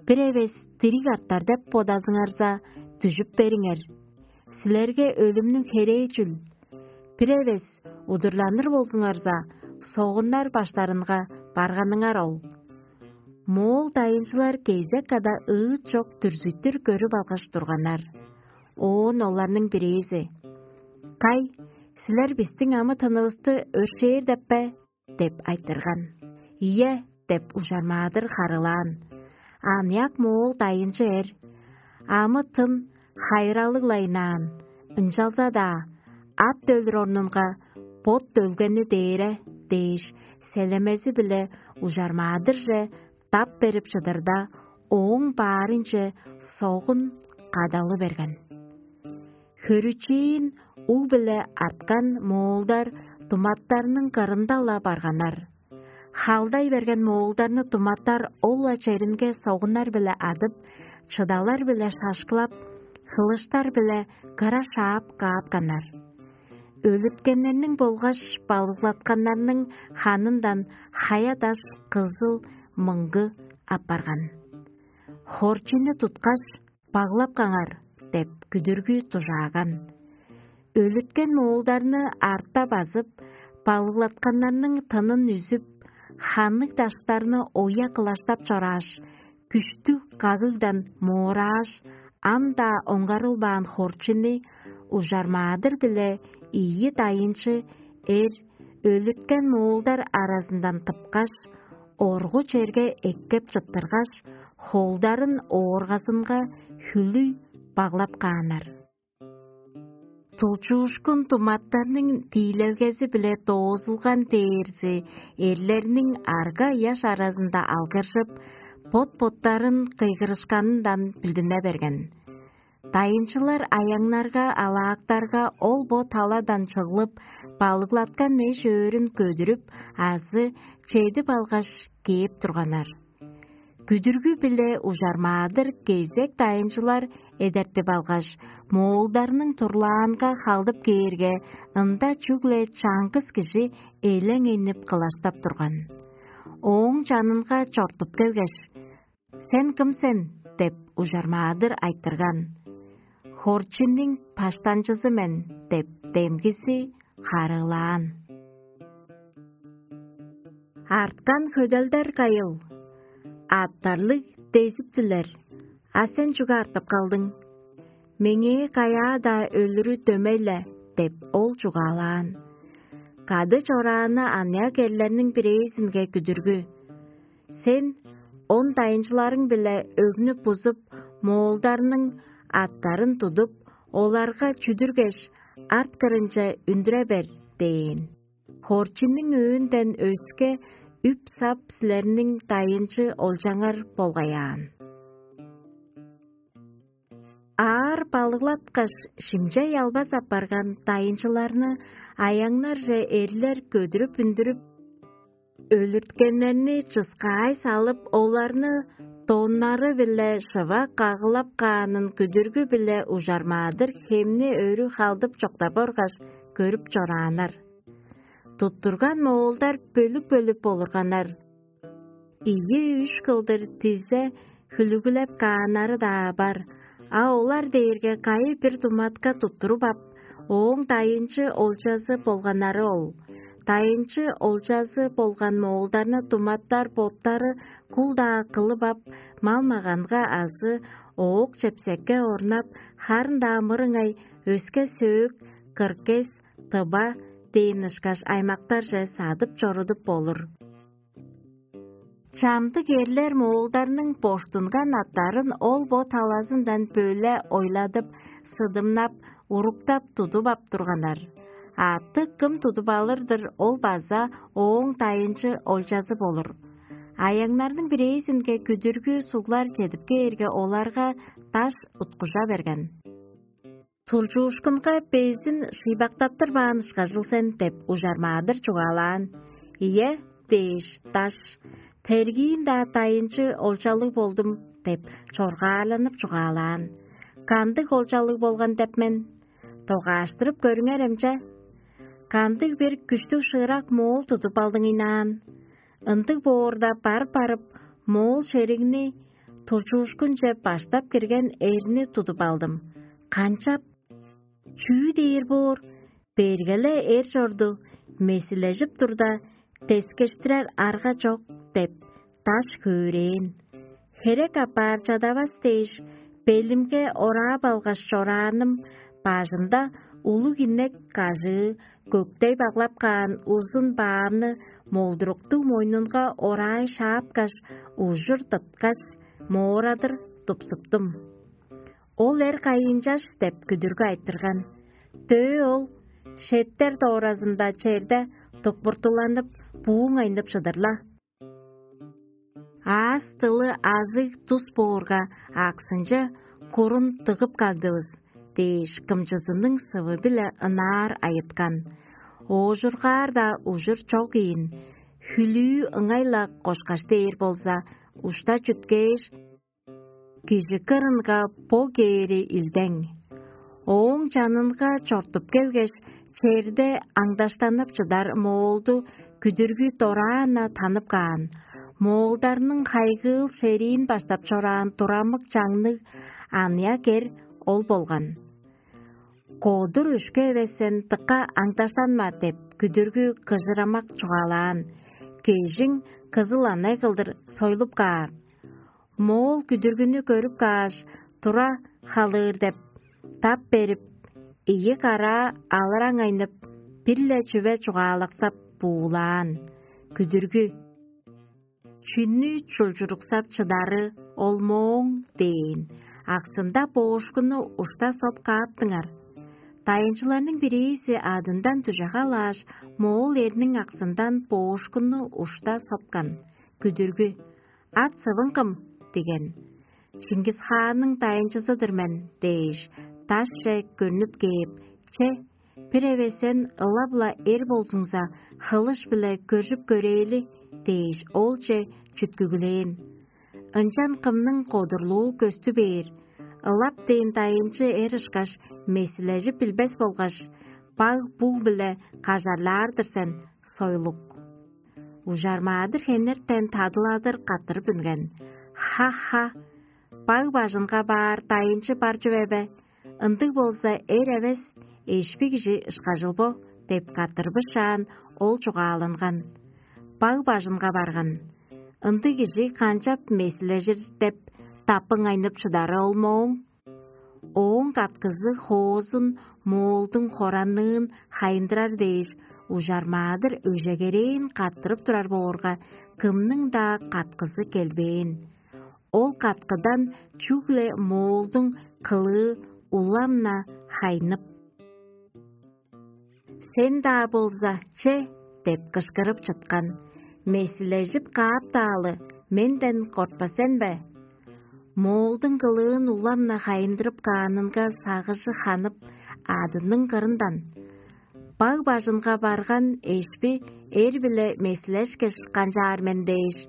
«Бир эвес дириг артар деп бодазыңарза, дүжүп бериңер. Силерге өлүмнүң херээ чүл? Бир эвес удурланыр болзуңарза, согуннар баштарынга барганыңар ол». Моол дайынчылар кезек када ыыт чок дүрзүттүр көрүп алгаш турганнар. Оон оларның бирээзи: «Кай, силер бистиң амы-тынывысты өршээр деп бе?» – деп айтырган. «Ийе» – деп ужармаадыр харыылаан. Аныяк моол дайынчы эр: «Амы-тын хайыралыг-ла ынаан, ынчалза-даа ат өлүр орнунга бот өлгени дээре» – дээш, селемези-биле ужармаадырже дап берип чыдырда, ооң баарынче согун кадалы берген. Хөрүчээн уг-биле арткан моолдар туматтарның кырында-ла барганнар. Халдай берген моолдарны туматтар ол-ла черинге согуннар-биле адып, чыдалар-биле шашкылап, хылыштар-биле кыра шаап каапканнар. Өлүрткеннерниң болгаш балыглатканнарның ханындан хая-даш, кызыл, мыңгы апарган. «Хорчунну туткаш, баглап каңар» – деп күдүргү дужааган. Өлүрткен моолдарны арта базып, балыглатканнарның тынын үзүп, ханныг даштарны оя кылаштап чорааш, күштүг кагыгдан моорааш, ам-даа оңгарылбаан хорчунну ужармаадыр-биле ийи дайынчы эр өлүрткен моолдар аразындан тыпкаш, оргу черге эккеп чыттыргаш, холдарын ооргазынга хүлүй баглап кааннар. Тулчуушкун туматтарның тиилелгези-биле доозулган дээрзи эрлерниң арга-ыяш аразында алгыржып, бот-боттарын кыйгырышканындан билдине берген. Дайынчылар аяңнарга, алаактарга ол бо таладан чыглып, балыглаткан эш-өөрүн көдүрүп азы чедип алгаш, кээп турганнар. Күдүргү-биле ужармаадыр кезек дайынчылар эдертип алгаш, моолдарның турлаанга халдып кээрге, ында чүгле чаңгыс кижи элеңейнип кылаштап турган. Ооң чанынга чортуп келгеш: «Сен кым сен?» – деп ужармаадыр айтырган. «Хорчуннуң баштанчызы мен» – деп демгизи харыылаан. Арткан хөделдер кайыл? Аъттарлыг дезиптилер, а сен чүге артып калдың? Меңээ каяа-даа өлүрү дөмей-ле – деп ол чугаалаан. Кады чорааны аныяк эрлерниң бирээзинге күдүргү: «Сен он дайынчыларың-биле өгнү бузуп, моолдарның аъттарын тудуп, оларга чүдүргеш, арт кырынче үндүре бер» – дээн. Хорчуннуң өөнден өске үп-сап силерниң дайынчы олчаңар болгаяан. Аар балыглаткаш, шимчей албас апарган дайынчыларны аяңнарже эрлер көдүрүп-үндүрүп, өлүрткеннерни чыскаай салып, оларны тоннары-биле шыва кагылап каанын күдүргү-биле ужармаадыр хемни өрү халдып чоктап оргаш, көрүп чорааннар. Туттурган моолдар бөлүк-бөлүк болурганнар. Ийи-үш кылдыр дизе хүлүгүлеп кааннары-даа бар, а олар дээрге кайы-бир туматка туттуруп ап, ооң дайынчы олчазы болганнары ол. Дайынчы олчазы болган моолдарны туматтар боттары кул-даа кылып ап, мал-маганга азы оок-чепсекке орнап, харын-даа мырыңай өске сөөк, кыргес, тыба дээн ышкаш аймактарже садып чорудуп болур. Чамдык эрлер моолдарның боштунган аттарын ол бо талазындан бөле ойладып, сыдымнап, уруктап тудуп ап турганнар. Атты кым тудуп алыр-дыр, ол база ооң дайынчы олчазы болур. Аяңнарның бирээзинге күдүргү суглар чедип кээрге, оларга даш уткужа берген. «Тулчуушкунга безин шыйбактаттырбаан ышкажыл сен» – деп ужармаадыр чугаалаан. «Ийе» – дээш, даш: «Тергиин-даа дайынчы олчалыг болдум» – деп чоргаарланып чугаалаан. «Кандыг олчалыг болган деп мен? Догааштырып көрүңерем че. Кандыг-бир күштүг шыырак моол тудуп алдыңынаан. Ындыг боорда, бар барып, моол шеригни тулчуушкунче баштап кирген эрни тудуп алдым. Канчап? Чүү дээр боор? Бергеле эр чорду, месилежип турда, дескештирер арга чок» – деп, даш хөөрээн. Херек апаар чадавас дээш, белимге ораап алгаш чорааным, бажымда улуг инек кажыы, көктей баглап каан узун баамны молдуруктуг мойнунга орай шаапкаш, ужур тыткаш, моорадыр тупсуптум. Ол эр кайыынчаш деп күдүргү айтырган. Дөө ол шеттер дооразында черде дукпуртуланып, бууң айнып чыдыр-ла. «Аас-дылы ажыг тус боорга, аксынче курун дыгып кагдывыс» – дээш, кымчызының сывы-биле ынаар айыткан. Оожургаар-даа ужур чок ийин, хүлүү ыңай-ла кошкаш дээр болза, ушта чүткээш, кижи кырынга бо кээри илдең. Ооң чанынга чортуп келгеш, черде аңдаштанып чыдар моолду күдүргү дораан-на танып каан. Моолдарның хайгыыл шериин баштап чораан турамык чаңныг аныяк эр ол болган. «Кодур өшкү эвес сен, дыка аңдаштанма» – деп күдүргү кыжырамак чугаалаан. Кежиң кызыл анай кылдыр сойлуп каар. Моол күдүргүнү көрүп кааш, тура халыыр деп, тап берип, ийи караа алыраң айнып, бир-ле чүве чугаалаксап буулаан. Күдүргү: «Чүнү чулчуруксап чыдары ол мооң?» – дээн. Аксында боошкунну ушта соп кааптыңар. Дайынчыларның бирээзи адындан дүже халааш, моол эрниң аксындан боошкунну ушта сопкан. Күдүргү: «Ат-сывың кым?» – диген. «Чингис-хаанның дайынчызы-дыр мен» – дээш, дашче көрнүп кээп: «Че, бир эвес сен ылап-ла эр болзуңза, хылыш-биле көржүп көрээли» – дээш, олче чүткүглээн. Ынчан кымның кодурлуу көстү бээр, ылап дээн дайынчы эр ышкаш месилежип билбес болгаш, баг-буг-биле кажарлаар-дыр сен, сойлук. Ужармаадыр хенертен тадыладыр каттырып үнген: «Ха-ха! Баг бажынга баар дайынчы бар чүве бе? Ындыг болза, эр эвес, эшпи кижи ышкажыл бо» – деп каттырбышаан, ол чугааланган. Баг бажынга барган. Ындыг кижи канчап месилежир деп, таппың айнып чыдары ол мооң? Ооң каткызы хоозун моолдуң хоранныын хайындырар дээш, ужармаадыр өжегерээн каттырып турар боорга, кымның-даа каткызы келбээн. Ол каткыдан чүгле моолдуң кылыы улам-на хайнып: «Сен-даа болза, че!» – деп кышкырып чыткан. «Месилежип кааптаалы, менден кортпас сен бе?» Моолдуң кылыын улам-на хайындырып каанынга сагыжы ханып, адының кырындан: «Баг бажынга барган эшпи эр-биле месилешкеш канчаар мен» – дээш,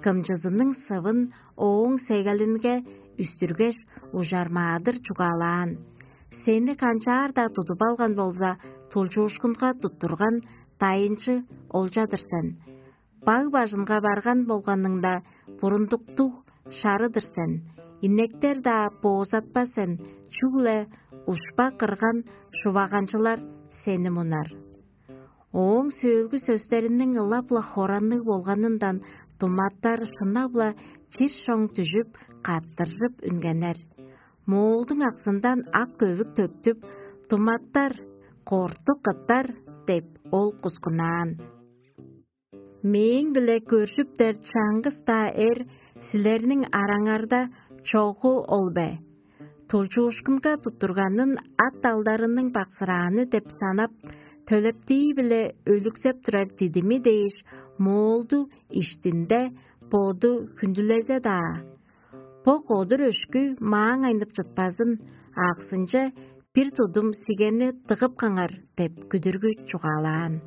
кымчызының сывын ооң сегелинге үстүргеш, ужармаадыр чугаалаан: «Сени канчаар-даа тудуп алган болза, тулчуушкунга туттурган дайынчы олча-дыр сен. Баг бажынга барган болганыңда, бурундуктуг шары-дыр сен. Инектер-даа боозатпас сен, чүгле ушпа кырган шуваганчылар сени мунар». Ооң сөөлгү сөстериниң ылап-ла хоранныг болганындан думаттар шынап-ла чир-шоң дүжүп, каттыржып үнгеннер. Моолдуң аксындан ак көвүк төктүп, думаттар: «Корту кыттар» – деп, ол кускунаан. «Мээң-биле көржүптер чаңгыс-даа эр силерниң араңарда чогу ол бе? Тулчуушкунга туттурганын ат алдарының баксырааны деп санап, төлептии-биле өлүксеп турар дидими дээш, моолду иштинде боду хүндүлезе-даа. Бо кодур өшкү мааң айнып чытпазын, аксынче бир тудум сигенни дыгып каңар» – деп күдүргү чугаалаан.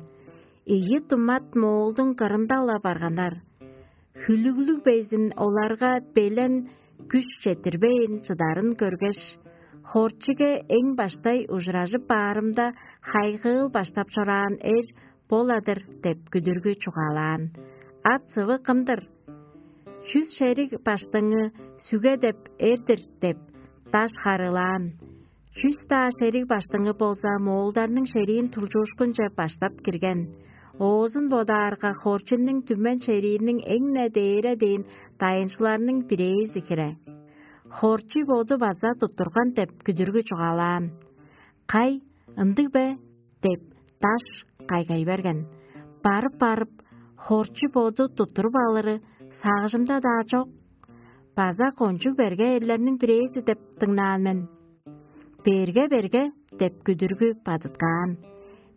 Ийи думат моолдуң кырында-ла барганнар. Хүлүглүг безин оларга белен күш четтирбейн чыдарын көргеш, хорчиге эң баштай ужуражып баарымда, хайгыыл баштап чораан эр боладыр деп күдүргү чугаалаан. Ат сывы кымдыр? Чүс шериг баштыңы сүге деп эр-дир деп даш харыылаан. Чүс-даа шериг баштыңы болза моолдарның шериин тулчуушкунче баштап кирген. Оозун бодаарга, хорчинниң түмен шерииниң эң-не дээре дээн дайынчыларның бирээзи хире. Хорчи боду база туттурган деп күдүргү чугаалаан. «Кай, ындыг бе?» — деп, даш кайгай берген. Барып-барып, хорчу боду туттуруп алыры сагыжымда-даа чок. База кончуг берге эрлерниң бирээзи деп дыңнаан мен. «Берге-берге» — деп күдүргү бадыткаан.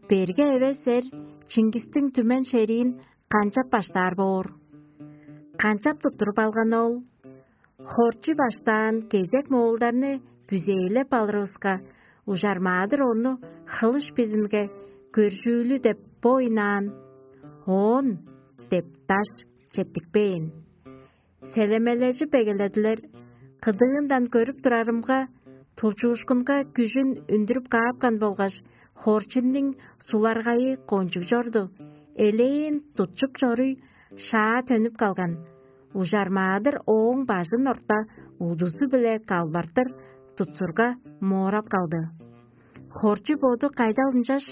Берге эвес эр Чингистиң түмен шериин канчап баштаар боор? Канчап туттуруп алган ол? Хорчу баштаан кезек моолдарны бүзээлеп алырывыска, ужармаадыр ону хылыш бизинге көржүүлү деп бо ыйнаан. «Оон» — деп даш четтикпээн. Селемележип эгеледилер. Кыдыындан көрүп турарымга, тулчуушкунга күжүн үндүрүп каапкан болгаш, хорчуннуң суларгайы кончуг чорду. Элээн тутчуп чоруй шаа төнүп калган. Ужармаадыр ооң бажын орта удузу-биле калбартыр тутсурга моорап калды. Хорчу боду кайдал ынчаш?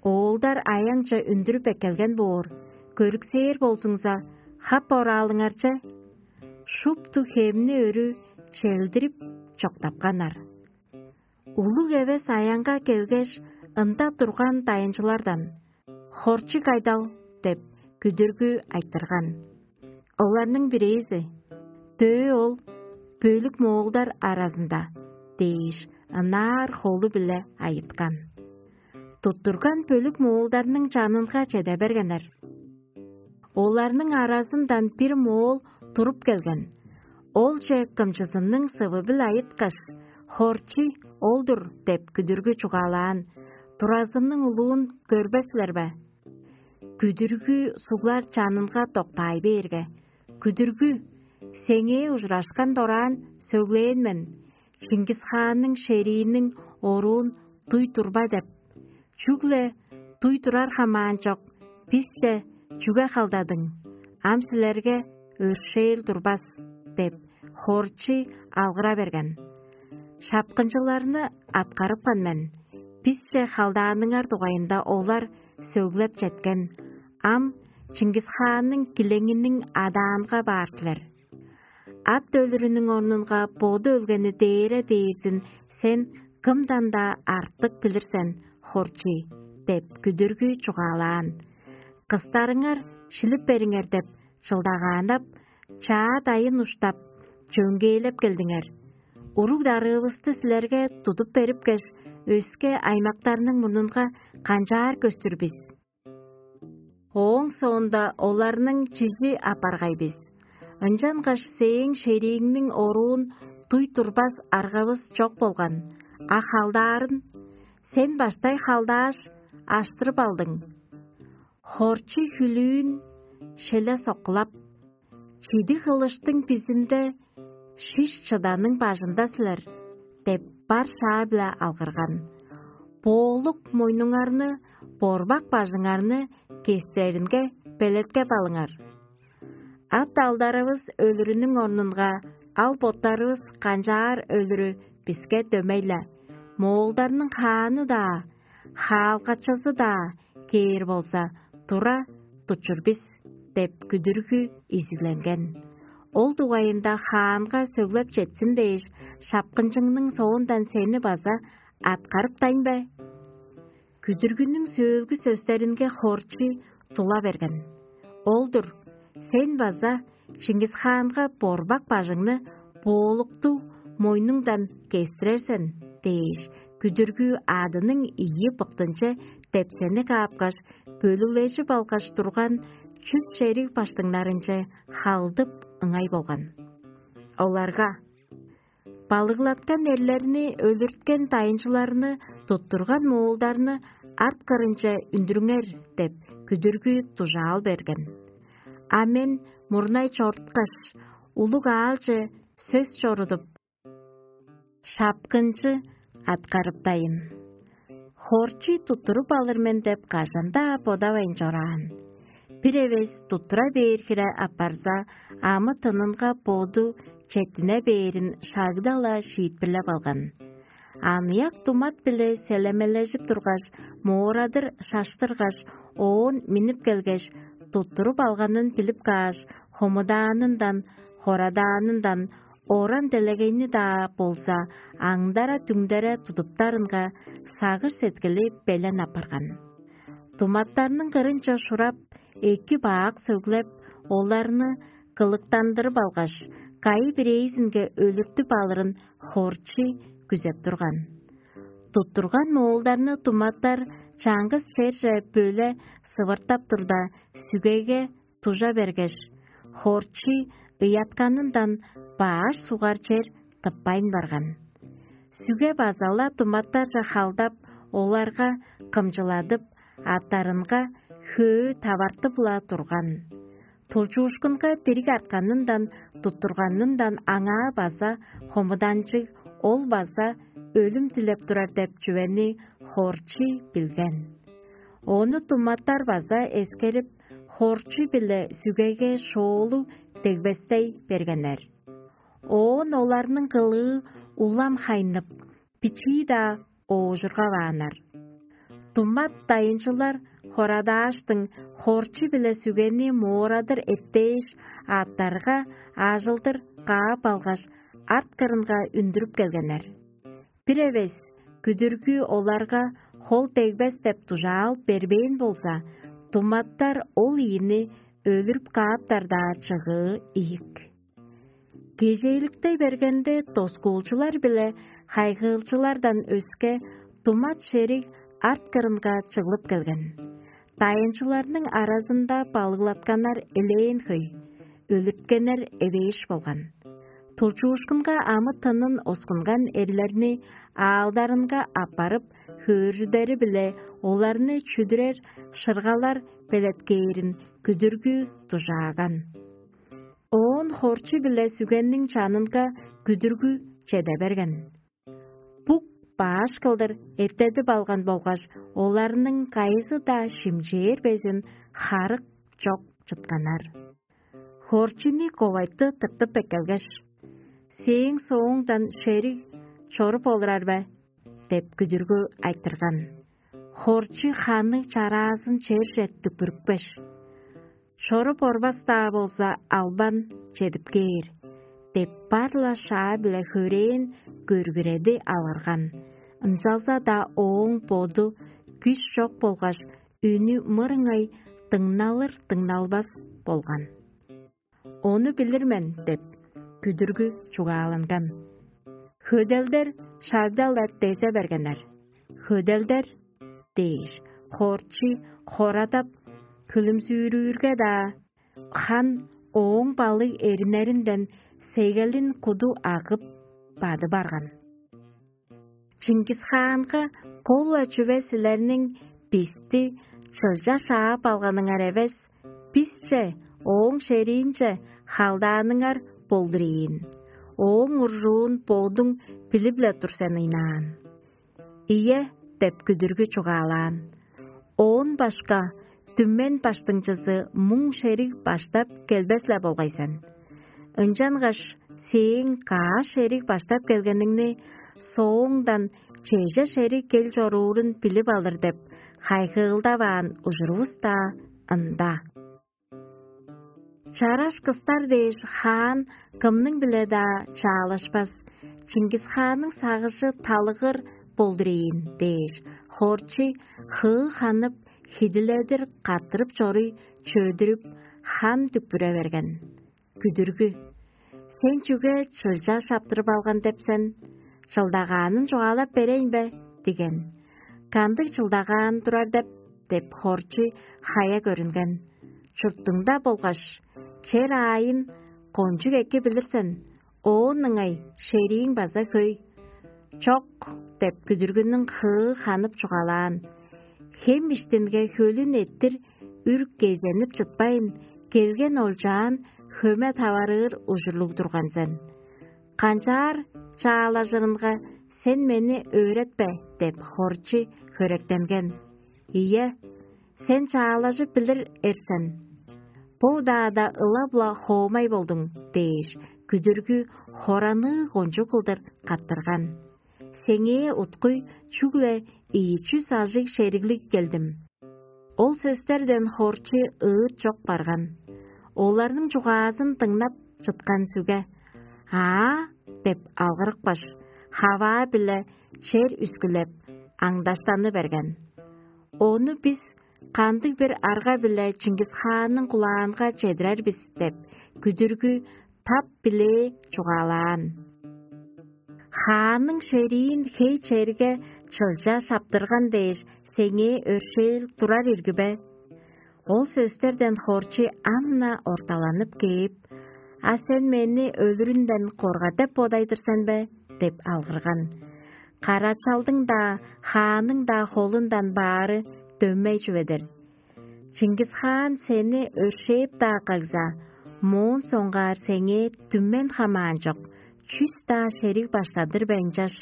Оолдар аяңче үндүрүп эккелген боор, көрүксээр болзуңза, хап ораалыңарче. Шупту хемни өрү челдирип чоктапканнар. Улуг эвес аянга келгеш, ында турган дайынчылардан: «Хорчу кайдал?» — деп, күдүргү айтырган. Оларның бирээзи: «Дөө ол бөлүк моолдар аразында» — дээш, ынаар холу-биле айыткан. Туттурган бөлүк моолдарның чанынга чеде бергеннер. Оларның аразындан бир моол туруп келген. Олче кымчызының сывы-биле айыткаш: «Хорчу ол-дур» — деп күдүргү чугаалаан. «Туразының улуун көрбес силер бе?» Күдүргү суглар чанынга доктаай бээрге, күдүргү: «Сеңээ ужурашкан дораан сөглээн мен, Чингис-хаанның шерииниң оруун дуй турба деп. Чүгле дуй турар хамаан чок, бисче чүге халдадың? Ам силерге өршээл турбас» — деп, хорчу алгыра берген. Шапкынчыларны аткарыпкан мен. Бисче халдааныңар дугайында олар сөглеп четкен. Ам Чингис-хаанның килеңиниң адаанга баар силер. Ат өлүрүнүң орнунга боду өлгени дээре дээрзин сен кымдан-даа артык билир сен, хорчу» — деп күдүргү чугаалаан. «Кыстарыңар шилип бериңер» — деп чылдагааннап, чаа дайын уштап, чөңгээлеп келдиңер. Уруг-дарыывысты силерге тудуп берипкеш, өске аймактарның мурнунга канчаар көстүр бис? Ооң соонда оларның чижи апаргай бис. Ынчангаш сээң шерииңниң оруун дуй турбас аргавыс чок болган, а халдаарын сен баштай халдааш, аштырып алдың. Хорчу хүлүүн шеле соккулап: «Чидиг хылыштың бизинде шиш чыданың бажында силер» — деп, бар шаа-биле алгырган. «Боолук мойнуңарны борбак бажыңарны кестиреринге белеткеп алыңар. Ат-алдарывыс өлүрүнүң орнунга ал-боттарывыс канчаар өлүрү биске дөмей-ле. Моолдарның хааны-даа, хаалгачызы-даа кээр болза, тура тутчур бис» — деп күдүргү изигленген. Ол дугайында хаанга сөглеп четсин дээш, шапкынчыңның соондан сени база аткарыптайн бе? Күдүргүнүң сөөлгү сөстеринге хорчу тула берген. Ол-дур, сен база Чингис-хаанга борбак бажыңны боолуктуг мойнуңдан кестирер сен дээш, күдүргү адының ийи быктынче депсени каапкаш, бөлүглежип алгаш турган чүс шериг баштыңнарынче халдып ыңай болган. Оларга: «Балыглаткан эрлерни өлүрткен дайынчыларны туттурган моолдарны арт кырынче үндүрүңер» — деп, күдүргү дужаал берген. А мен мурнай чоруткаш, улуг аалче сөс чорудуп, шапкынчы аткарыптайын. Хорчий туттуруп алыр мен деп кажан-даа бодавайн чораан. Бир эвес туттура бээр хире апарза, амы-тынынга боду четтине бээрин шагда-ла шиитпирлеп алган. Аныяк думат-биле селемележип тургаш, моорадыр шаштыргаш, оон миннип келгеш, туттуруп алганын билип кааш, хомудаанындан, хорадаанындан, оран делегейни-даа болза, аңдара-түңдере тудуптарынга сагыш-сеткили белен апарган. Думаттарның кырынче шурап, эки-бак сөглеп, оларны кылыктандырып алгаш, кайы-бирээзинге өлүртүп алырын хорчий күзеп турган. Туттурган моолдарны думаттар чаңгыс черже бөле сывыртап турда, сүгеге дужа бергеш, хорчий ыятканындан баш сугар чер тыппайн барган. Сүге база-ла думаттарже халдап, оларга кымчыладып, аттарынга хөө тавартып-ла турган. Тулчуушкунга дириг артканындан, туттурганындан аңаа база хомуданчыг, ол база өлүм дилеп турар деп чүвени хорчий билген. Ону думаттар база эскерип, хорчий-биле сүгеге шоолуг дегбестей бергеннер. Оон оларның кылыы улам хайнып, бичии-даа оожургавааннар. Думат дайынчылар хорадааштың, хорчу-биле сүгени моорадыр эттээш, аъттарга аажылдыр каап алгаш, арт кырынга үндүрүп келгеннер. Бир эвес күдүргү оларга хол дегбес деп дужаал бербээн болза, думаттар ол ийини өлүрүп кааптар-даа чыгыы ийик. Кежээликте бергенде, доскуулчулар биле хайгыылчылардан өске, думат шериг арт кырынга чыглып келген. Дайынчыларның аразында балыглатканнар элээн хөй, өлүрткеннер эвээш болган. Тулчуушкунга амы-тынын оскунган эрлерни аалдарынга аппарып, хөөржүдери-биле оларны чүдүрер шыргалар белеткээрин күдүргү дужааган. Оон хорчу-биле сүгенниң чанынга күдүргү чеде берген. Бук баш кылдыр эртедип алган болгаш, оларның кайызы-даа шимчээр безин харык чок чытканнар. Хорчуну ковайтты тыртып эккелгеш: «Сээң сооңдан шериг чоруп олурар бе?» – деп күдүргү айтырган. Хорчу ханы чараазын черже дүкпүрүпкеш: «Чоруп орбас-даа болза, албан чедип кээр» – деп, бар-ла шаа-биле хөрээн көргүреди алырган. Ынчалза-даа ооң боду күш чок болгаш, үнү мырыңай дыңналыр-дыңналбас болган. «Ону билир мен» – деп, күдүргү чугааланган. «Хөделдер шагда-ла дезе бергеннер. „Хөделдер“ – дээш, хорчу хорадап, хүлүмзүүрүүрге-даа, хан ооң балыг эрининден сегелин куду агып, бадып арган. Чингис-хаанга: „Кол-ла чүве силерниң бисти чылча шаап алганыңар эвес, бисче, ооң шериинче халдааныңар болдур ийин. Ооң уржуун бодуң билип-ле тур сен ыйнаан“». «Ийе» – деп күдүргү чугаалаан. «Оон башка, дүмен баштыңчызы муң шериг баштап келбес-ле болгай сен. Ынчангаш сээң каш шериг баштап келгениңни сооңдан чеже шериг кел чоруурун билип алыр деп хайгыылдаваан ужурувус-даа ында. Чараш кыстар дээш хаан кымның-биле-даа чаалашпас, Чингис-хаанның сагыжы талыгыр болдур ийин» – дээш, хорчу хыы ханып, хидиледир каттырып чоруй чөдүрүп, хан дүкпүре берген. Күдүргү: «Сен чүге чылча шаптырып алган деп сен? Чылдагаанын чугаалап берейн бе?» – диген. «Кандыг чылдагаан турар деп?» – деп, хорчу хая көрүнген. «Чуртуңда болгаш чер аайын кончуг эки билир сен, оон ыңай шерийиң база хөй». «Чок» – деп, күдүргүнүң хыы ханып чугаалаан. «Хем иштинге хөлүн эрттир үр кезенип чытпайн, келген олчаан хөме таварыыр ужурлуг турган сен. Канчаар чаалажырынга сен мени өөретпе деп хорчи хөректенген. Ийе, сен чаалажып билир эрсен. Бо удаада ылап-ла хоомай болдуң дээш, күдүргү хораныы кончуг кылдыр каттырган. Сеңээ уткуй чүгле ийи чүс ажыг шериглиг келдим. Ол сөстерден хорчу ыыт чок барган. Оларның чугаазын дыңнап чыткан сүге: «Аа!» — деп алгырыпкаш, хаваа-биле чер үскүлеп, аңдаштаны берген. «Ону бис кандыг-бир арга-биле Чингис-хаанның кулаанга чедирер бис» — деп, күдүргү тап билээ чугаалаан. «Хаанның шериин хей черге чылча шаптырган дээш, сеңээ өршээл турар ирги бе?» Ол сөстерден хорчу ам-на орталанып кээп: «А сен мени өлүрүнден коргар деп бодайдыр сен бе?» — деп алгырган. «Карачалдың-даа, хаанның-даа холундан баары дөмей чүве-дир. Чингис-хаан сени өршээп-даа кагза, моон соңгаар сеңээ дүммен хамаан чок, чүс-даа шериг баштадыр бе ынчаш?»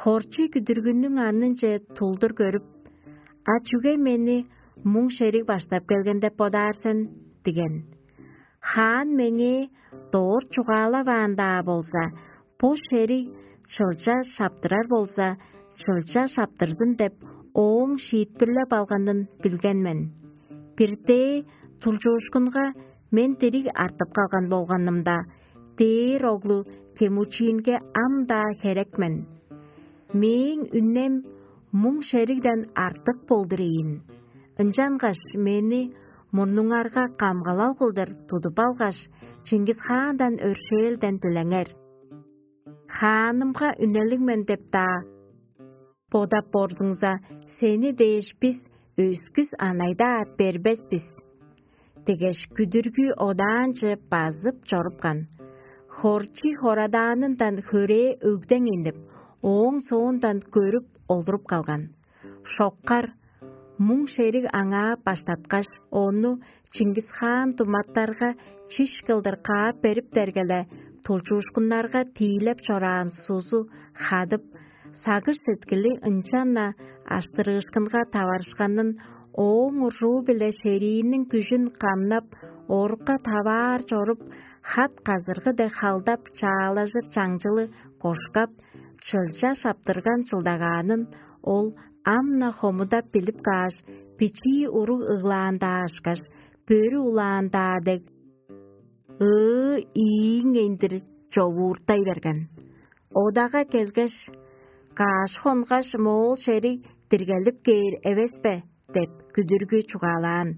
Хорчу күдүргүнүң аннынче тулдур көрүп: «А чүге мени муң шериг баштап келген деп бодаар сен?» — диген. «Хаан меңээ доор чугаалаваан-даа болза, бо шериг чылча шаптырар болза, чылча шаптырзын деп, ооң шиитпирлеп алганын билген мен. Биртээ тулчуушкунга мен дириг артып калган болганымда, дээр оглу Темучинге ам-даа херек мен. Мээң үнем муң шеригден артык болдур ийин. Ынчангаш мени мурнуңарга камгалал кылдыр тудуп алгаш, Чингис-хаандан өршээлден дилеңер. Хаанымга үнелиг мен деп-даа бодап борзуңза, сени дээш бис өскүс анай-даа бербес бис» — дегеш, күдүргү одаанче базып чорупкан. Хорчий хорадаанындан хөрээ өгдең иннип, ооң соондан көрүп олуруп калган. Шоккар, муң шериг аңаа баштаткаш, ону Чингис-хаан думаттарга чиш кылдыр каап берип бергеле, тулчуушкуннарга тиилеп чораан сузу хадып, сагыш-сеткили ынчан-на аштырыышкынга таварышканын, ооң уржуу-биле шерииниң күжүн камнап, орукка таваар чоруп, хат-казыргы дег халдап чаалажыр чаңчылы кошкап, чылча шаптырган чылдагаанын ол ам-на хомудап билип кааш, бичии уруг ыглаан-даа ышкаш, бөрү улаан-даа дег, ыы-ийиң эндир човууртай берген. Одага келгеш: «Каш хонгаш моол шериг диргелип кээр эвес бе?» — деп күдүргү чугаалаан.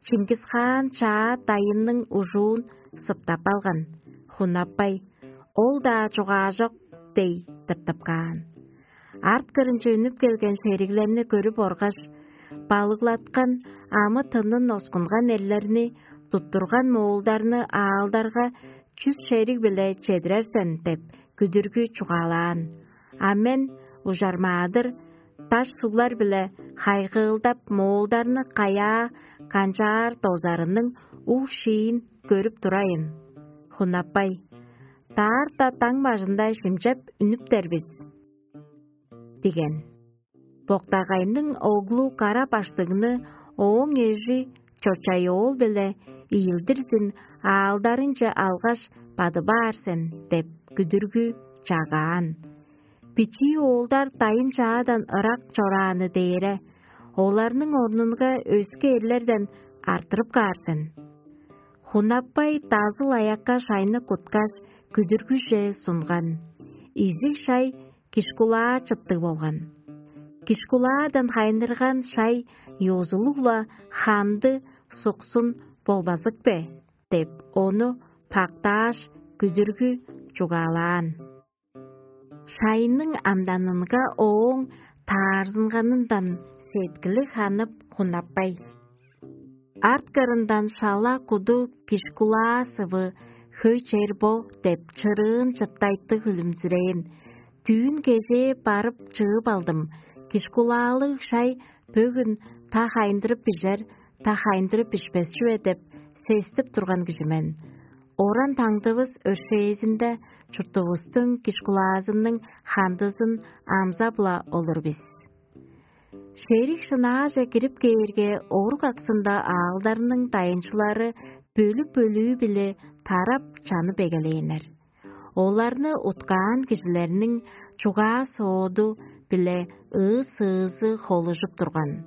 Чингис-хаан чаа дайынның ужуун сыптап алган. Хунаппай: «Ол-даа чугаажок» — дей тыртып каан. Арт кырынче үнүп келген шериглерни көрүп оргаш, балыглаткан амы-тынын оскунган эрлерни, туттурган моолдарны аалдарга чүс шериг-биле чедирер сен деп, күдүргү чугаалаан. А мен ужармаадыр, даш суглар-биле хайгыылдап, моолдарны каяа канчаар дозарының уг-шиин көрүп турайын. Хунаппай: «Даарта даң бажында шимчеп үнүптер бис» — диген. Боктагайның оглу кара баштыгны ооң эжи чочай-оол-биле ийилдирзин аалдарынче алгаш, бадып аар сен деп, күдүргү чагаан. Бичии оолдар дайын-чаадан ырак чорааны дээре, оларның орнунга өске эрлерден арттырып каар сен. Хунаппай дазыл аякка шайны куткаш, күдүргүже сунган. Изиг шай кишкулаа чыттыг болган. Кишкулаадан хайнырган шай ёзулуг-ла ханды суксун болбазык бе? — деп, ону пактааш, күдүргү чугаалаан. Шайның амданынга ооң таарзынганындан сеткили ханып, хунаппай. Арткырындан шала куду кишкулаа сывы хөй чер бо деп чырыын чыртайтты хүлүмзүрээн. Түүн кежээ барып чыып алдым. Кишкулаалыг шай бөгүн та хайындырып бижер, та хайындырып бишпес чүве деп сестип турган кижи мен. Оран таңдывыс өршээзинде чуртувустуң киш кулаазының хандызын амзап-ла олур бис. Шериг шынааже кирип кээрге, орук аксында аалдарның дайынчылары бөлүк-бөлүү-биле тарап чанып эгелээннер. Оларны уткаан кижилерниң чугаа-сооду биле ыы-сыызы холужуп турган.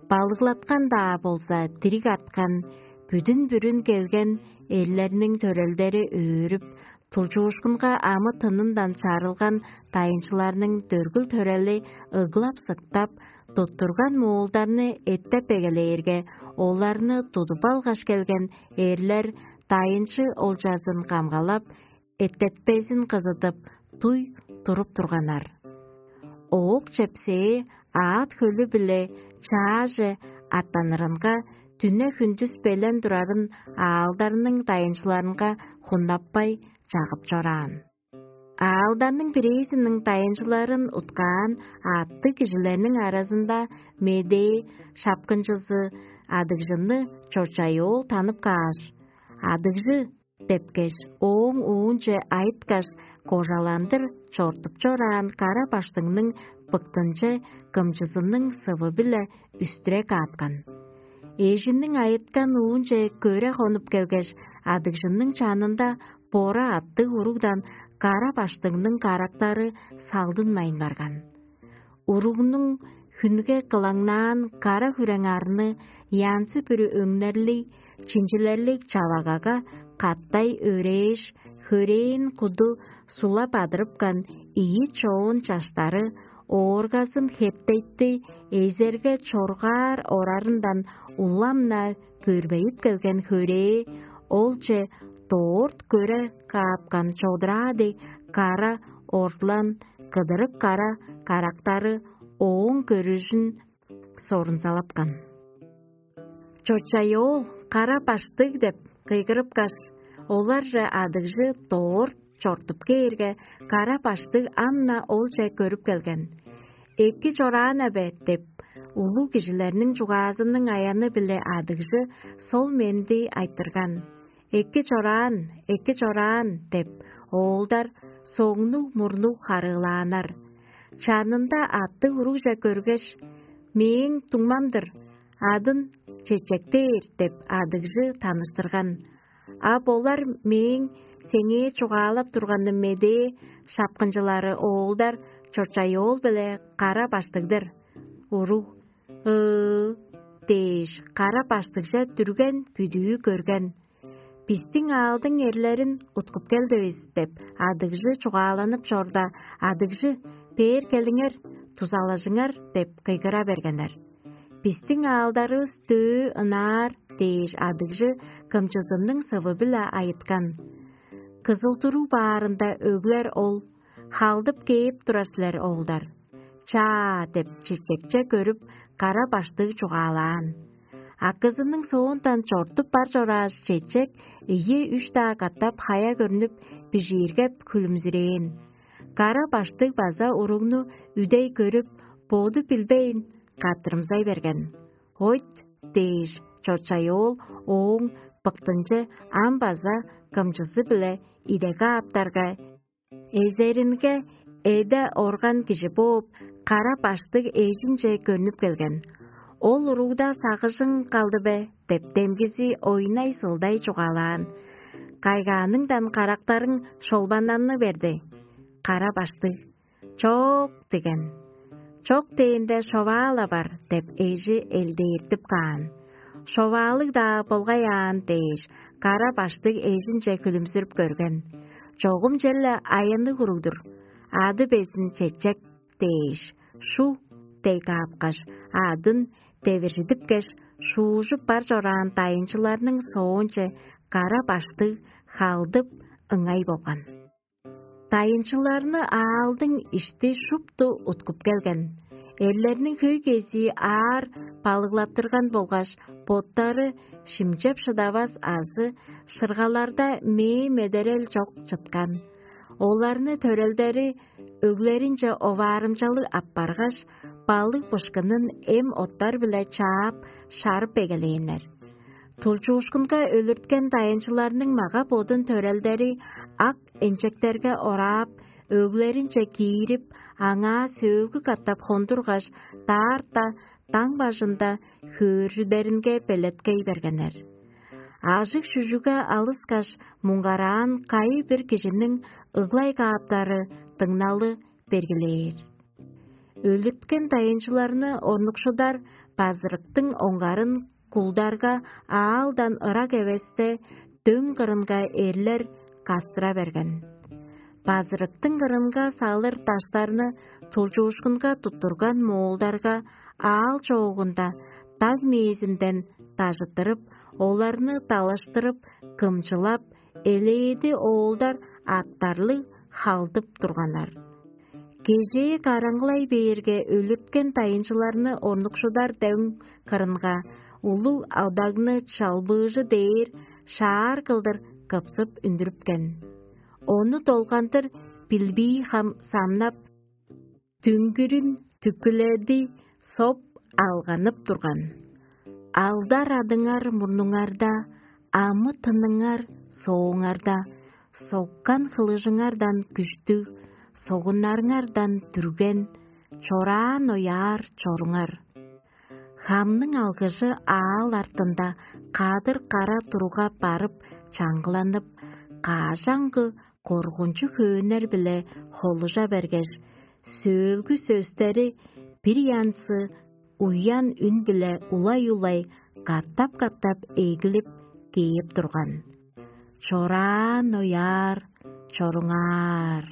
Балыглаткан-даа болза, дириг арткан, бүдүн-бүрүн келген эрлерниң төрелдери өөрүп, тулчуушкунга амы-тынындан чарылган дайынчыларның дөргүл-төрели ыглап-сыктап, туттурган муулдарны эттеп эгелээрге, оларны тудуп алгаш келген эрлер дайынчы олчазын камгалап, эттетпезин кызыдып, дуй туруп турганнар. Оок чепсээ аът хөлү-биле чааже аттанырынга, дүне-хүндүс белен турарын аалдарның дайынчыларынга хуннаппай чагып чораан. Аалдарның бирээзиниң дайынчыларын уткаан аъттыг кижилерниң аразында медээ шапкынчызы адыгжынны чочай-оол танып кааш: «Адыгжы» – депкеш, ооң уунче айыткаш, кожаландыр чортуп чораан кара баштыңның быктынче кымчызының сывы-биле үстүре кааткан. Эжинниң айыткан уунче көре хонуп келгеш, адыгжынның чанында бора аттыг уругдан кара баштыңның карактары салдынмайн барган. Уругнуң хүнге кылаңнаан кара хүрең арны янзы-бүрү өңнерлиг, чинчилерлиг чавагага каттай өрээш, хөрээн куду сулап адырыпкан ийи чоон чаштары ооргазын хептейти эзерге чоргаар орарындан улам-на бөрбейип келген хөрээ олче доорт көре каапкан чодураадай кара ордулан кыдырык кара карактары ооң көрүжүн сорунзалапкан. «Чочай-оол, кара баштыг!» – деп кыйгырыпкаш, оларже адыгжы доор чортуп кээрге, кара баштыг ам-на олче көрүп келген. «Эки чораан-на бе?» – деп, улуг кижилерниң чугаазының аяны-биле адыгжы сол менди айтырган. «Эки чораан, эки чораан!» – деп, оолдар соңнуг-мурнуг харыылааннар. Чанында аттыг уругже көргеш: «Мээң дуңмам-дыр, адын Чечектээр» – деп, адыгжы таныштырган. «А болар мээң сеңээ чугаалап турганым медээ шапкынчылары оолдар Чочай-оол биле кара баштыг-дыр». Уруг: «Ыы» – дээш, кара баштыгже дүрген бүдүү көрген. «Бистиң аалдың эрлерин уткуп келдивис» – деп, адыгжы чугааланып чорда, адыгжы: «Бээр келиңер, дузалажыңар» – деп кыйгыра бергеннер. «Бистиң аалдарывыс дөө ынаар» – дээш, адыгжы кымчызының сывы-биле айыткан. Кызыл-туруг баарында өглер ол: «Халдып кээп турар силер, оолдар». «Чаа» – деп, чечекче көрүп, кара баштыг чугаалаан. Акызының соондан чортуп бар чорааш, чечек ийи-үш-даа катап хая көрнүп, бижииргеп, хүлүмзүрээн. Кара баштыг база уругну үдей көрүп, боду билбейн, каттырымзай берген. «Ойт» – дээш, Чочай-оол ооң быктынче ам база кымчызы-биле идеге аптарга, эзеринге эде орган кижи бооп, кара баштыг эжинче көнүп келген. «Ол уругда сагыжың калды бе?» – деп, демгизи ойнай-сылдай чугаалаан. Кайгааныңдан карактарың шолбаннаны берди. Кара баштыг: «Чок» – деген. «Чок дээнде, шоваа-ла бар» – деп, эжи элдээртип каан. «Шоваалыг-даа болгай аан» – дээш, кара баштыг эжинче хүлүмзүрүп көрген. «Чогум черле аянныг уруг-дур. Ады безин Чечек» – дээш, «Шу» – дей каапкаш, адын девиржидипкеш, шуужуп бар чораан дайынчыларның соонче кара баштыг халдып, ыңай болган. Дайынчыларны аалдың ишти шупту уткуп келген. Эрлерниң хөй кезии аар балыглаттырган болгаш, боттары шимчеп шыдавас азы шыргаларда мээ медерел чок чыткан. Оларны төрелдери өглеринче оваарымчалыг аппаргаш, балык бышкынын эм оттар-биле чаап, шарып эгелээннер. Тулчуушкунга өлүрткен дайынчыларның мага-бодун төрелдери ак энчектерге ораап, өглеринче киирип, аңаа сөөлгү катап хондургаш, даарта даң бажында хөөржүдеринге белеткей бергеннер. Ажыг-шүжүгге алыскаш, муңгараан кайы-бир кижиниң ыглай кааптары дыңналы бергилээр. Өлүрткен дайынчыларны орнукшудар базырыктың оңгарын кулдарга аалдан ырак эвесте дөң кырынга эрлер кастыра берген. Базырыктың кырынга салыр даштарны тулчуушкунга туттурган моолдарга аал чоогунда даг мээзинден дажыттырып, оларны далаштырып, кымчылап, элээди оолдар артарлыг халдып турганнар. Кежээ караңгылай бээрге, өлүрткен дайынчыларны орнукшудар дөң кырынга улуг алдагны чалбыыжы дээр шаар кылдыр кыпсып үндүрүпкен. Ону долгандыр билбии хам самнап, дүңгүрүн түкүледи соп алганып турган. Алдар адыңар мурнуңарда, амы тыныңар сооңарда, соккан хылыжыңардан күштүг, согуннарыңардан дүрген, чораан ояар чоруңар. Хамның алгыжы аал артында кадыр кара туруга барып чаңгыланып, кажаңгы коргунчуг хөөннер-биле холужа бергеш, сөөлгү сөстери бир янзы уян үн-биле улай-улай катап-катап эгилип кээп турган. Чораан ояар чоруңаар.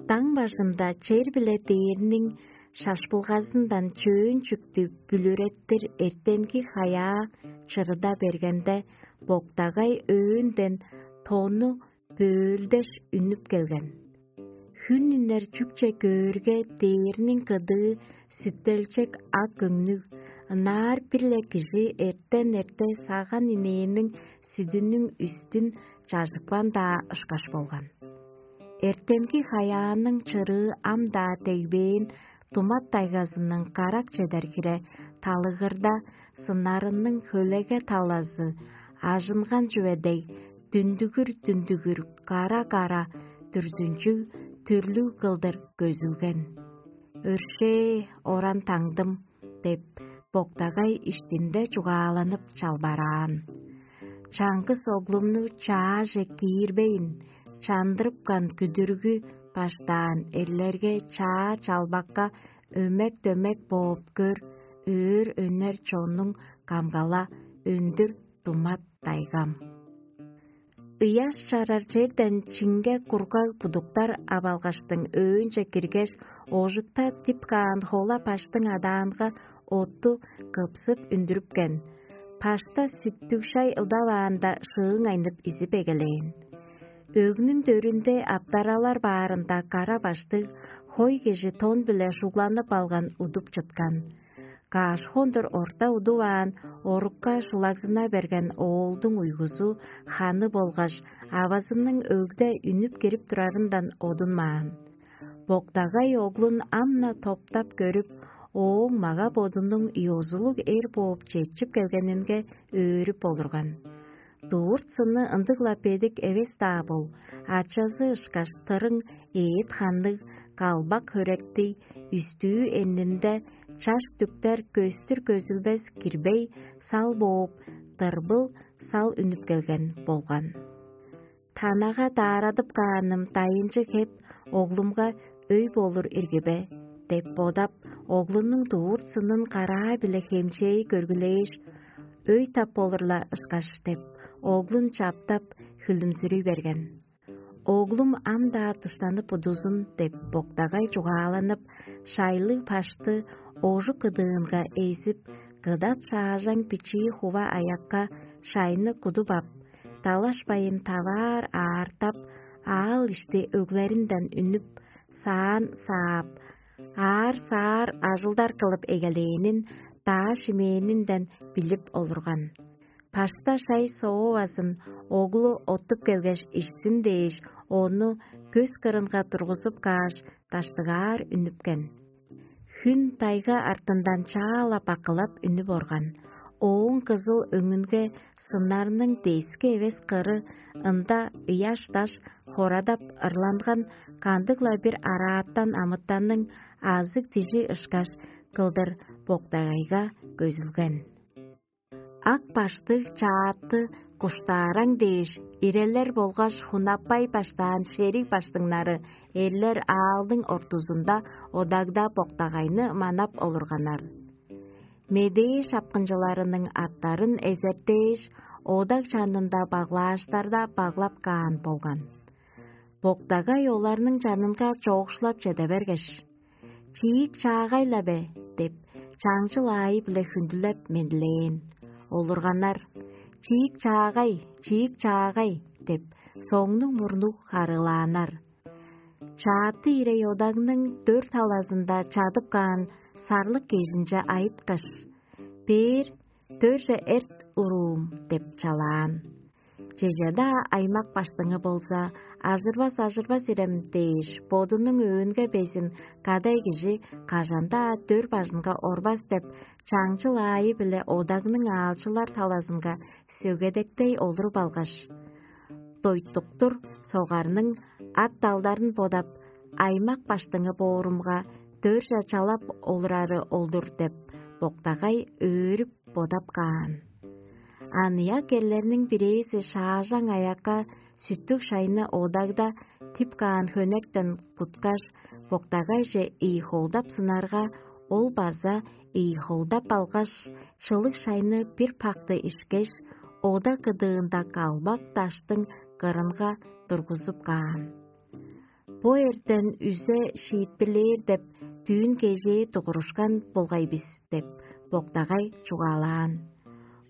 Даң бажында чер биле дээрниң шашпылгазындан чөөн чүктү бүлүреттир эртенги хаяа чырыда бергенде, боктагай өөнден тону бөөлдеш үнүп келген. Хүн үнер чүкче көөрге, дээрниң кыдыы сүттелчек ак өңнүг, ынаар бир-ле кижи эртен-эрте саган инээниң сүдүнүң үстүн чажыпкан-даа ышкаш болган. Эртенги хаяанның чырыы ам-даа дегбээн думат дайгазының карак чедер хире талыгырда сыннарының хөлеге талазы ажынган чүве дег, дүндүгүр-дүндүгүр, кара-кара, дүрзүнчүг, түрлүг кылдыр көзүлген. «Өршээ, оран таңдым» деп, боктагай иштинде чугааланып чалбараан. Чаңгыс оглумну чааже киирбейн, чандырыпкан күдүргү баштаан эрлерге чаа чалбакка өмек-дөмек бооп көр, өөр өнер чоннуң камгала өндүр думат дайгам. Ыяш чарар черден чиңге кургаг будуктар ап алгаштың, өөнче киргеш, ожукта дип каан хола баштың адаанга отту кыпсып үндүрүпкен. Пашта сүттүг шай удаваанда шыыңайнып изип эгелээн. Өгнүң дөрүнде аптаралар баарында кара баштыг хой кижи тон-биле шугланып алган удуп чыткан. Каш хондур орта удуваан, орукка шылагзына берген оолдуң уйгузу ханы болгаш авазының өгде үнүп кирип турарындан одунмаан. Боктагай оглун ам-на топтап көрүп, ооң мага-бодунуң ёзулуг эр бооп четчип келгенинге өөрүп олурган. Дурт сынны ындыг-ла бедик эвес-даа бол, ачазы ышкаш тырың эът ханныг, калбак хөректиг, үстүү эрнинде чаш дүктер көстүр көзүлбес кирбей сал бооп, дырбыл сал үнүп келген болган. Танага даарадып кааным дайынчы хеп оглумга өй болур ирги бе деп бодап, оглунуң дуур сынын караа-биле хемчээй көргүлээш, өй тап болур-ла ышкаш деп, оглун чаптап, хүлүмзүрүй берген. Оглум ам-даа дыштанып удузун деп боктагай чугааланып, шайлыг пашты ожук кыдыынга эзип, кыдат шаажаң бичии хува аякка шайны кудуп ап, далашпайын таваар аартап, аал ишти өглеринден үнүп, саан саап, аар-саар ажылдар кылып эгелээнин даа шимээнинден билип олурган. Пашта шай соовазын оглу оттуп келгеш ишсин дээш, ону көс кырынга тургузуп кааш, даштыгаар үнүпкен. Хүн тайга артындан чаала бакылап үнүп орган. Ооң кызыл өңүнге сыннарның дески эвес кыры ында ыяш-даш хорадап ырланган кандыг-ла бир арааттан амытанның азыг дижи ышкаш кылдыр боктагайга көзүлген. Ак баштыг чаатты куштаараң дээш, ирелер болгаш хунаппай баштаан шериг баштыңнары эрлер аалдың ортузунда одагда боктагайны манап олурганнар. Медээ шапкынчыларының аттарын эзертээш, одаг чанында баглааштарда баглап каан болган. Боктагай оларның чанынга чоокшулап чеде бергеш: «Чиик чаагай-ла бе?» — деп, чаңчыл аайы-биле хүндүлеп мендилээн. Олурганнар: «Чиик чаагай, чиик чаагай» — деп, соңнуг-мурнуг харыылааннар. Чааты ирей одагның дөрт талазында чадып каан сарлык кежинче айыткаш: «Бээр дөрже эрт, уруум» — деп чалаан. Чеже-даа аймак баштыңы болза, ажырбас-ажырбас ирем дээш, бодунуң өөнге безин кадай кижи кажан-даа дөр бажынга орбас деп, чаңчыл аайы-биле одагның аалчылар талазынга сөгедектей олуруп алгаш, дойтуктур согарның ат-далдарын бодап, аймак баштыңы боорумга, дөрже чалап олурары ол-дур деп, боктагай өөрүп бодап каан. Аныяк эрлерниң бирээзи шаажаң аякка сүттүг шайны одагда тип каан хөнектен куткаш, боктагайже ийи холдап сунарга, ол база ийи холдап алгаш, чылыг шайны бир пакты ишкеш, ода кыдыында калбак даштың кырынга тургузуп каан. «Бо эртен үзе шиитпирлээр деп, дүүн кежээ дугурушкан болгай бис» — деп, боктагай чугаалаан.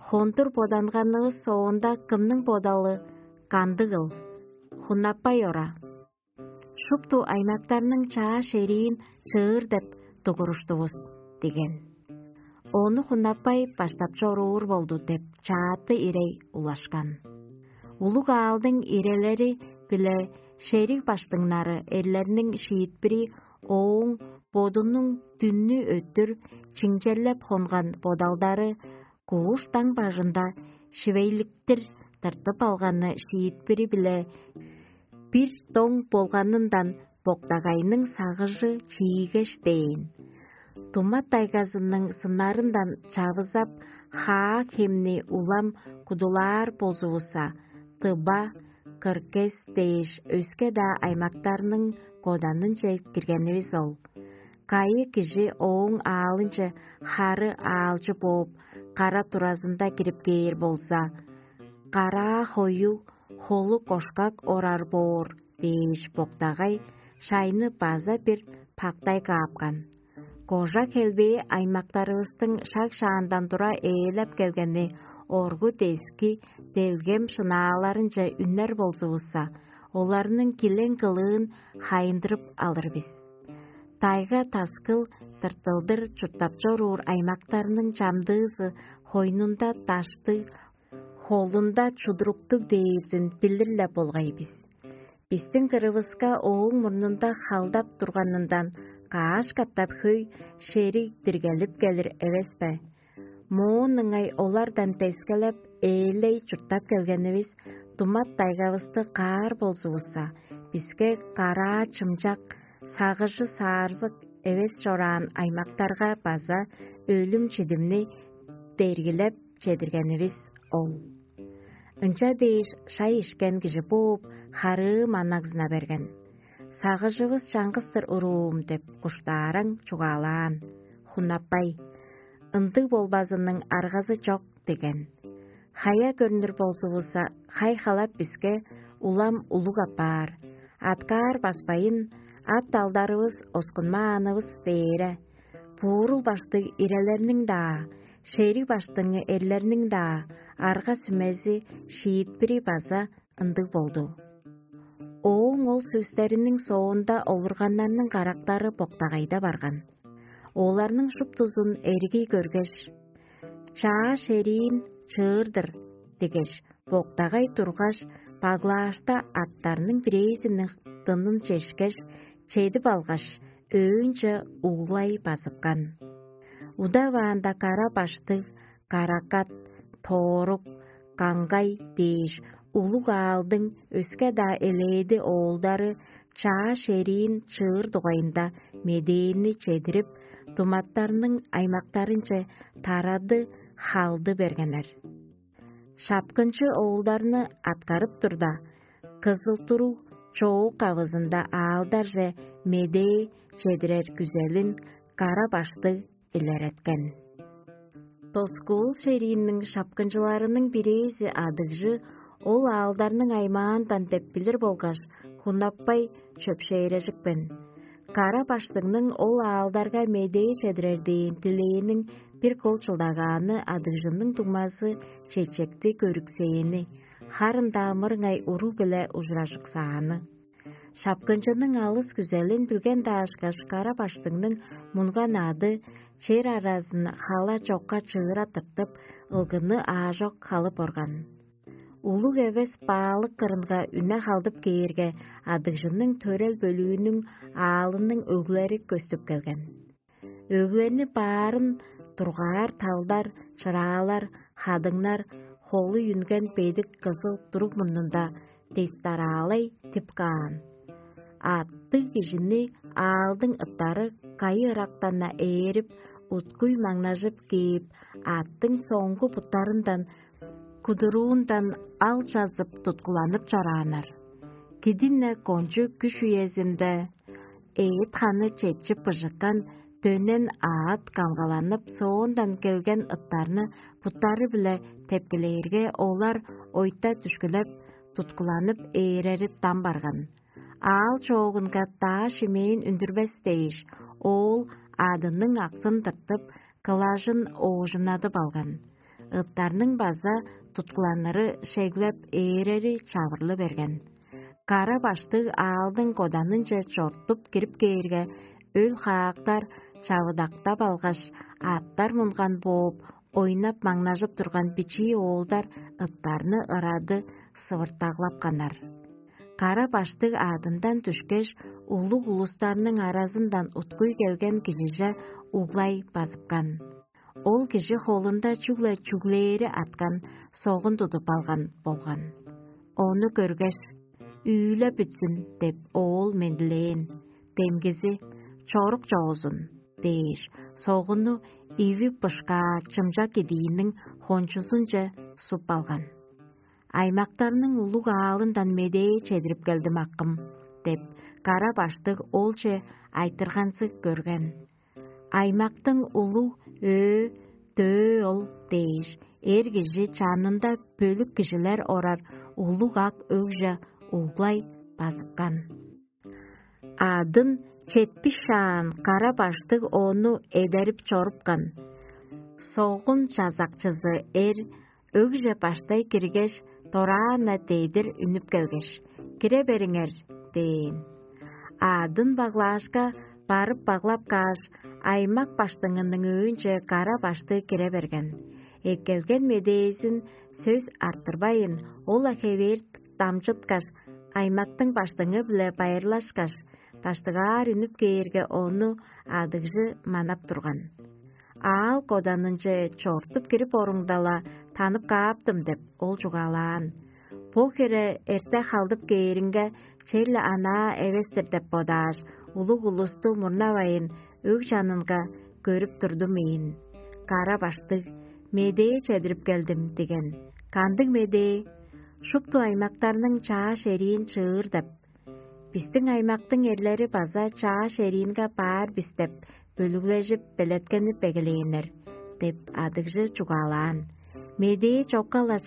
«Хондур боданганывыс соонда кымның бодалы кандыгыл? Хунаппай ора. Шупту аймактарның чаа шериин чыыр деп дугуруштувус» — диген. Ону хунаппай баштап чоруур болду деп, чааты ирей улашкан. Улуг аалдың ирелери биле шериг баштыңнары эрлерниң шиитпири ооң бодунуң дүннү өттүр чиңчелеп хонган бодалдары кууш даң бажында шивейликтир тыртып алганы шиитпири-биле бир доң болганындан боктагайның сагыжы чиигеш дээн. Тумат тайгазының сыннарындан чавызап, хаа хемни улам кудулаар болзувусса, тыба, кыркес дээш өске-даа аймактарның коданынче киргенивис ол. Кайы кижи ооң аалынче хары аалчы бооп, кара туразында кирип кээр болза, караа хою, холу кошкак орар боор дээш боктагай шайны база бир пактай каапкан. Кожа хелбээ аймактарывыстың шаг-шаандан тура ээлеп келгени оргу дески делгем шынааларынче үннер болзувусса, оларның килең кылыын хайындырып алыр бис. Тайга таскыл тыртылдыр чурттап чоруур аймактарның чамдыызы хойнунда даштыг, холунда чудуруктуг дээрзин билир-ле болгай бис. Бистиң кырывыска ооң мурнунда халдап турганындан каш катап хөй шериг диргелип келир эвес бе? Моон ыңай олардан дескелеп, ээлей чурттап келгенивис, думат дайгавысты каар болзувусса, биске караа чымчак, сагыжы саарзык эвес чораан аймактарга база өлүм-чидимни дергилеп чедиргенивис ол. Ынча дээш шай ишкен кижи бооп, харыы маннагзына берген. «Сагыжывыс чаңгыс-тыр, уруум» – деп куштаараң чугаалаан. Хунаппай: «Ындыг болбазының аргазы чок» – деген. Хая көрнүр болзувусса, хай-халап биске улам улуг апаар. Аткаар баспайын, ат-далдарывыс оскунмаанывыс дээре. Буурул баштыг ирелерниң-даа, шериг баштыңы эрлерниң-даа арга-сүмези, шиитпири база ындыг болду. Ооң ол сөстериниң соонда олурганнарның карактары боктагайда барган. Оларның шуптузун эргий көргеш: «Чаа шериин чыыр-дыр» дегеш, боктагай тургаш, баглаашта аттарның бирээзиниң дынын чешкеш, чедип алгаш, өөнче углай базыпкан. Удаваанда кара баштыг, каракат, тоорук, каңгай дээш улуг аалдың өске-даа элээди оолдары чаа шериин чыыр дугайында медээни чедирип, думаттарның аймактарынче тарады халды бергеннер. Шапкынчы оолдарны аткарып турда, кызыл-туруг чоок авызында аалдарже медээ чедирер күзелин кара баштыг илереткен. Доскуул шериинниң шапкынчыларының бирээзи адыгжы ол аалдарның аймаандан деп билир болгаш, хунаппай чөпшээрежипкен. Кара баштыңның ол аалдарга медээ чедирер дээн дилээниң бир кол чылдагааны адыгжының дуңмазы чечекти көрүксээни, харын-даа мырыңай уруг-биле ужуражыксааны. Шапкынчының алыс күзелин билген даашкаш, кара баштыңның мунган ады чер аразын хала чокка чыыра тыртып, ылгыны аажок халып орган. Улуг эвес баалык кырынга үне халдып кээрге, адыгжының төрел бөлүүнүң аалының өглери көстүп келген. Өглени баарын дургаар талдар, чыраалар, хадыңнар, холу үнген бедик кызыл туруг мурнунда дестараалай тип каан. Аттыг кижини аалдың ыттары кайы ырактан-на ээрип, уткуй маңнажып кээп, аттың соңгу буттарындан, кудуруундан ал чазып туткуланып чорааннар. Кидин-не кончуг күш үезинде эът-ханы четчип быжыккан дөнен аът камгаланып, соондан келген ыттарны буттары-биле тептилээрге, олар ойта дүшкүлеп, туткуланып ээрери дам барган. Аал чоогунга даа шимээн үндүрбес дээш, оол адының аксын тыртып, кылажын оожунадып алган. Ыттарның база туткуланыры шеглеп, ээрери чавырлы берген. Кара баштыг аалдың коданынче чортуп кирип кээрге, өл-хаактар чавыдактап алгаш, аттар мунган бооп, ойнап-маңнажып турган бичии оолдар ыттарны ырады сывыртаглапканнар. Кара баштыг аъдындан дүшкеш, улуг улустарның аразындан уткуй келген кижиже углай базыпкан. Ол кижи холунда чүгле чүглээри арткан согун тудуп алган болган. Ону көргеш: «Үүле бүтсүн» — деп, оол мендилээн. Демгизи: «Чорук чоозун» — дээш, согунну иви бышкаа чымчак кидииниң хончузунче суп алган. «Аймактарның улуг аалындан медээ чедирип келдим, акым» — деп, кара баштыг олче айтырганзыг көрген. «Аймактың улуг өө-дөө ол» — дээш, эр кижи чанында бөлүк кижилер орар улуг ак өгже углай базыпкан. Аъдын четпиш шаан кара баштыг ону эдерип чорупкан. Согун чазакчызы эр өгже баштай киргеш, дораан-на дедир үнүп келгеш: «Кире бериңер» — дээн. Аъдын баглаашка барып баглап кааш, аймак баштыңының өөнче кара баштыг кире берген. Эккелген медээзин сөс арттырбайн, ол-ла хевээр дамчыткаш, аймактың баштыңы-биле байырлашкаш, даштыгаар үнүп кээрге, ону адыгжы манап турган. «Аал коданынче чортуп кирип оруңда-ла, танып кааптым» — деп, ол чугаалаан. Бо хире эрте халдып кээриңге, черле анаа эвес-тир деп бодааш, улуг улусту мурнавайн, өг чанынга көрүп турдум ийин. Кара баштыг: «Медээ чедирип келдим» — диген. «Кандыг медээ?» «Шупту аймактарның чаа шериин чыыр» — деп. «Бистиң аймактың эрлери база чаа шериинге баар бис» — деп, бөлүглежип, белеткенип эгелээннер, — деп, адыгжы чугаалаан. Медээ чокка-ла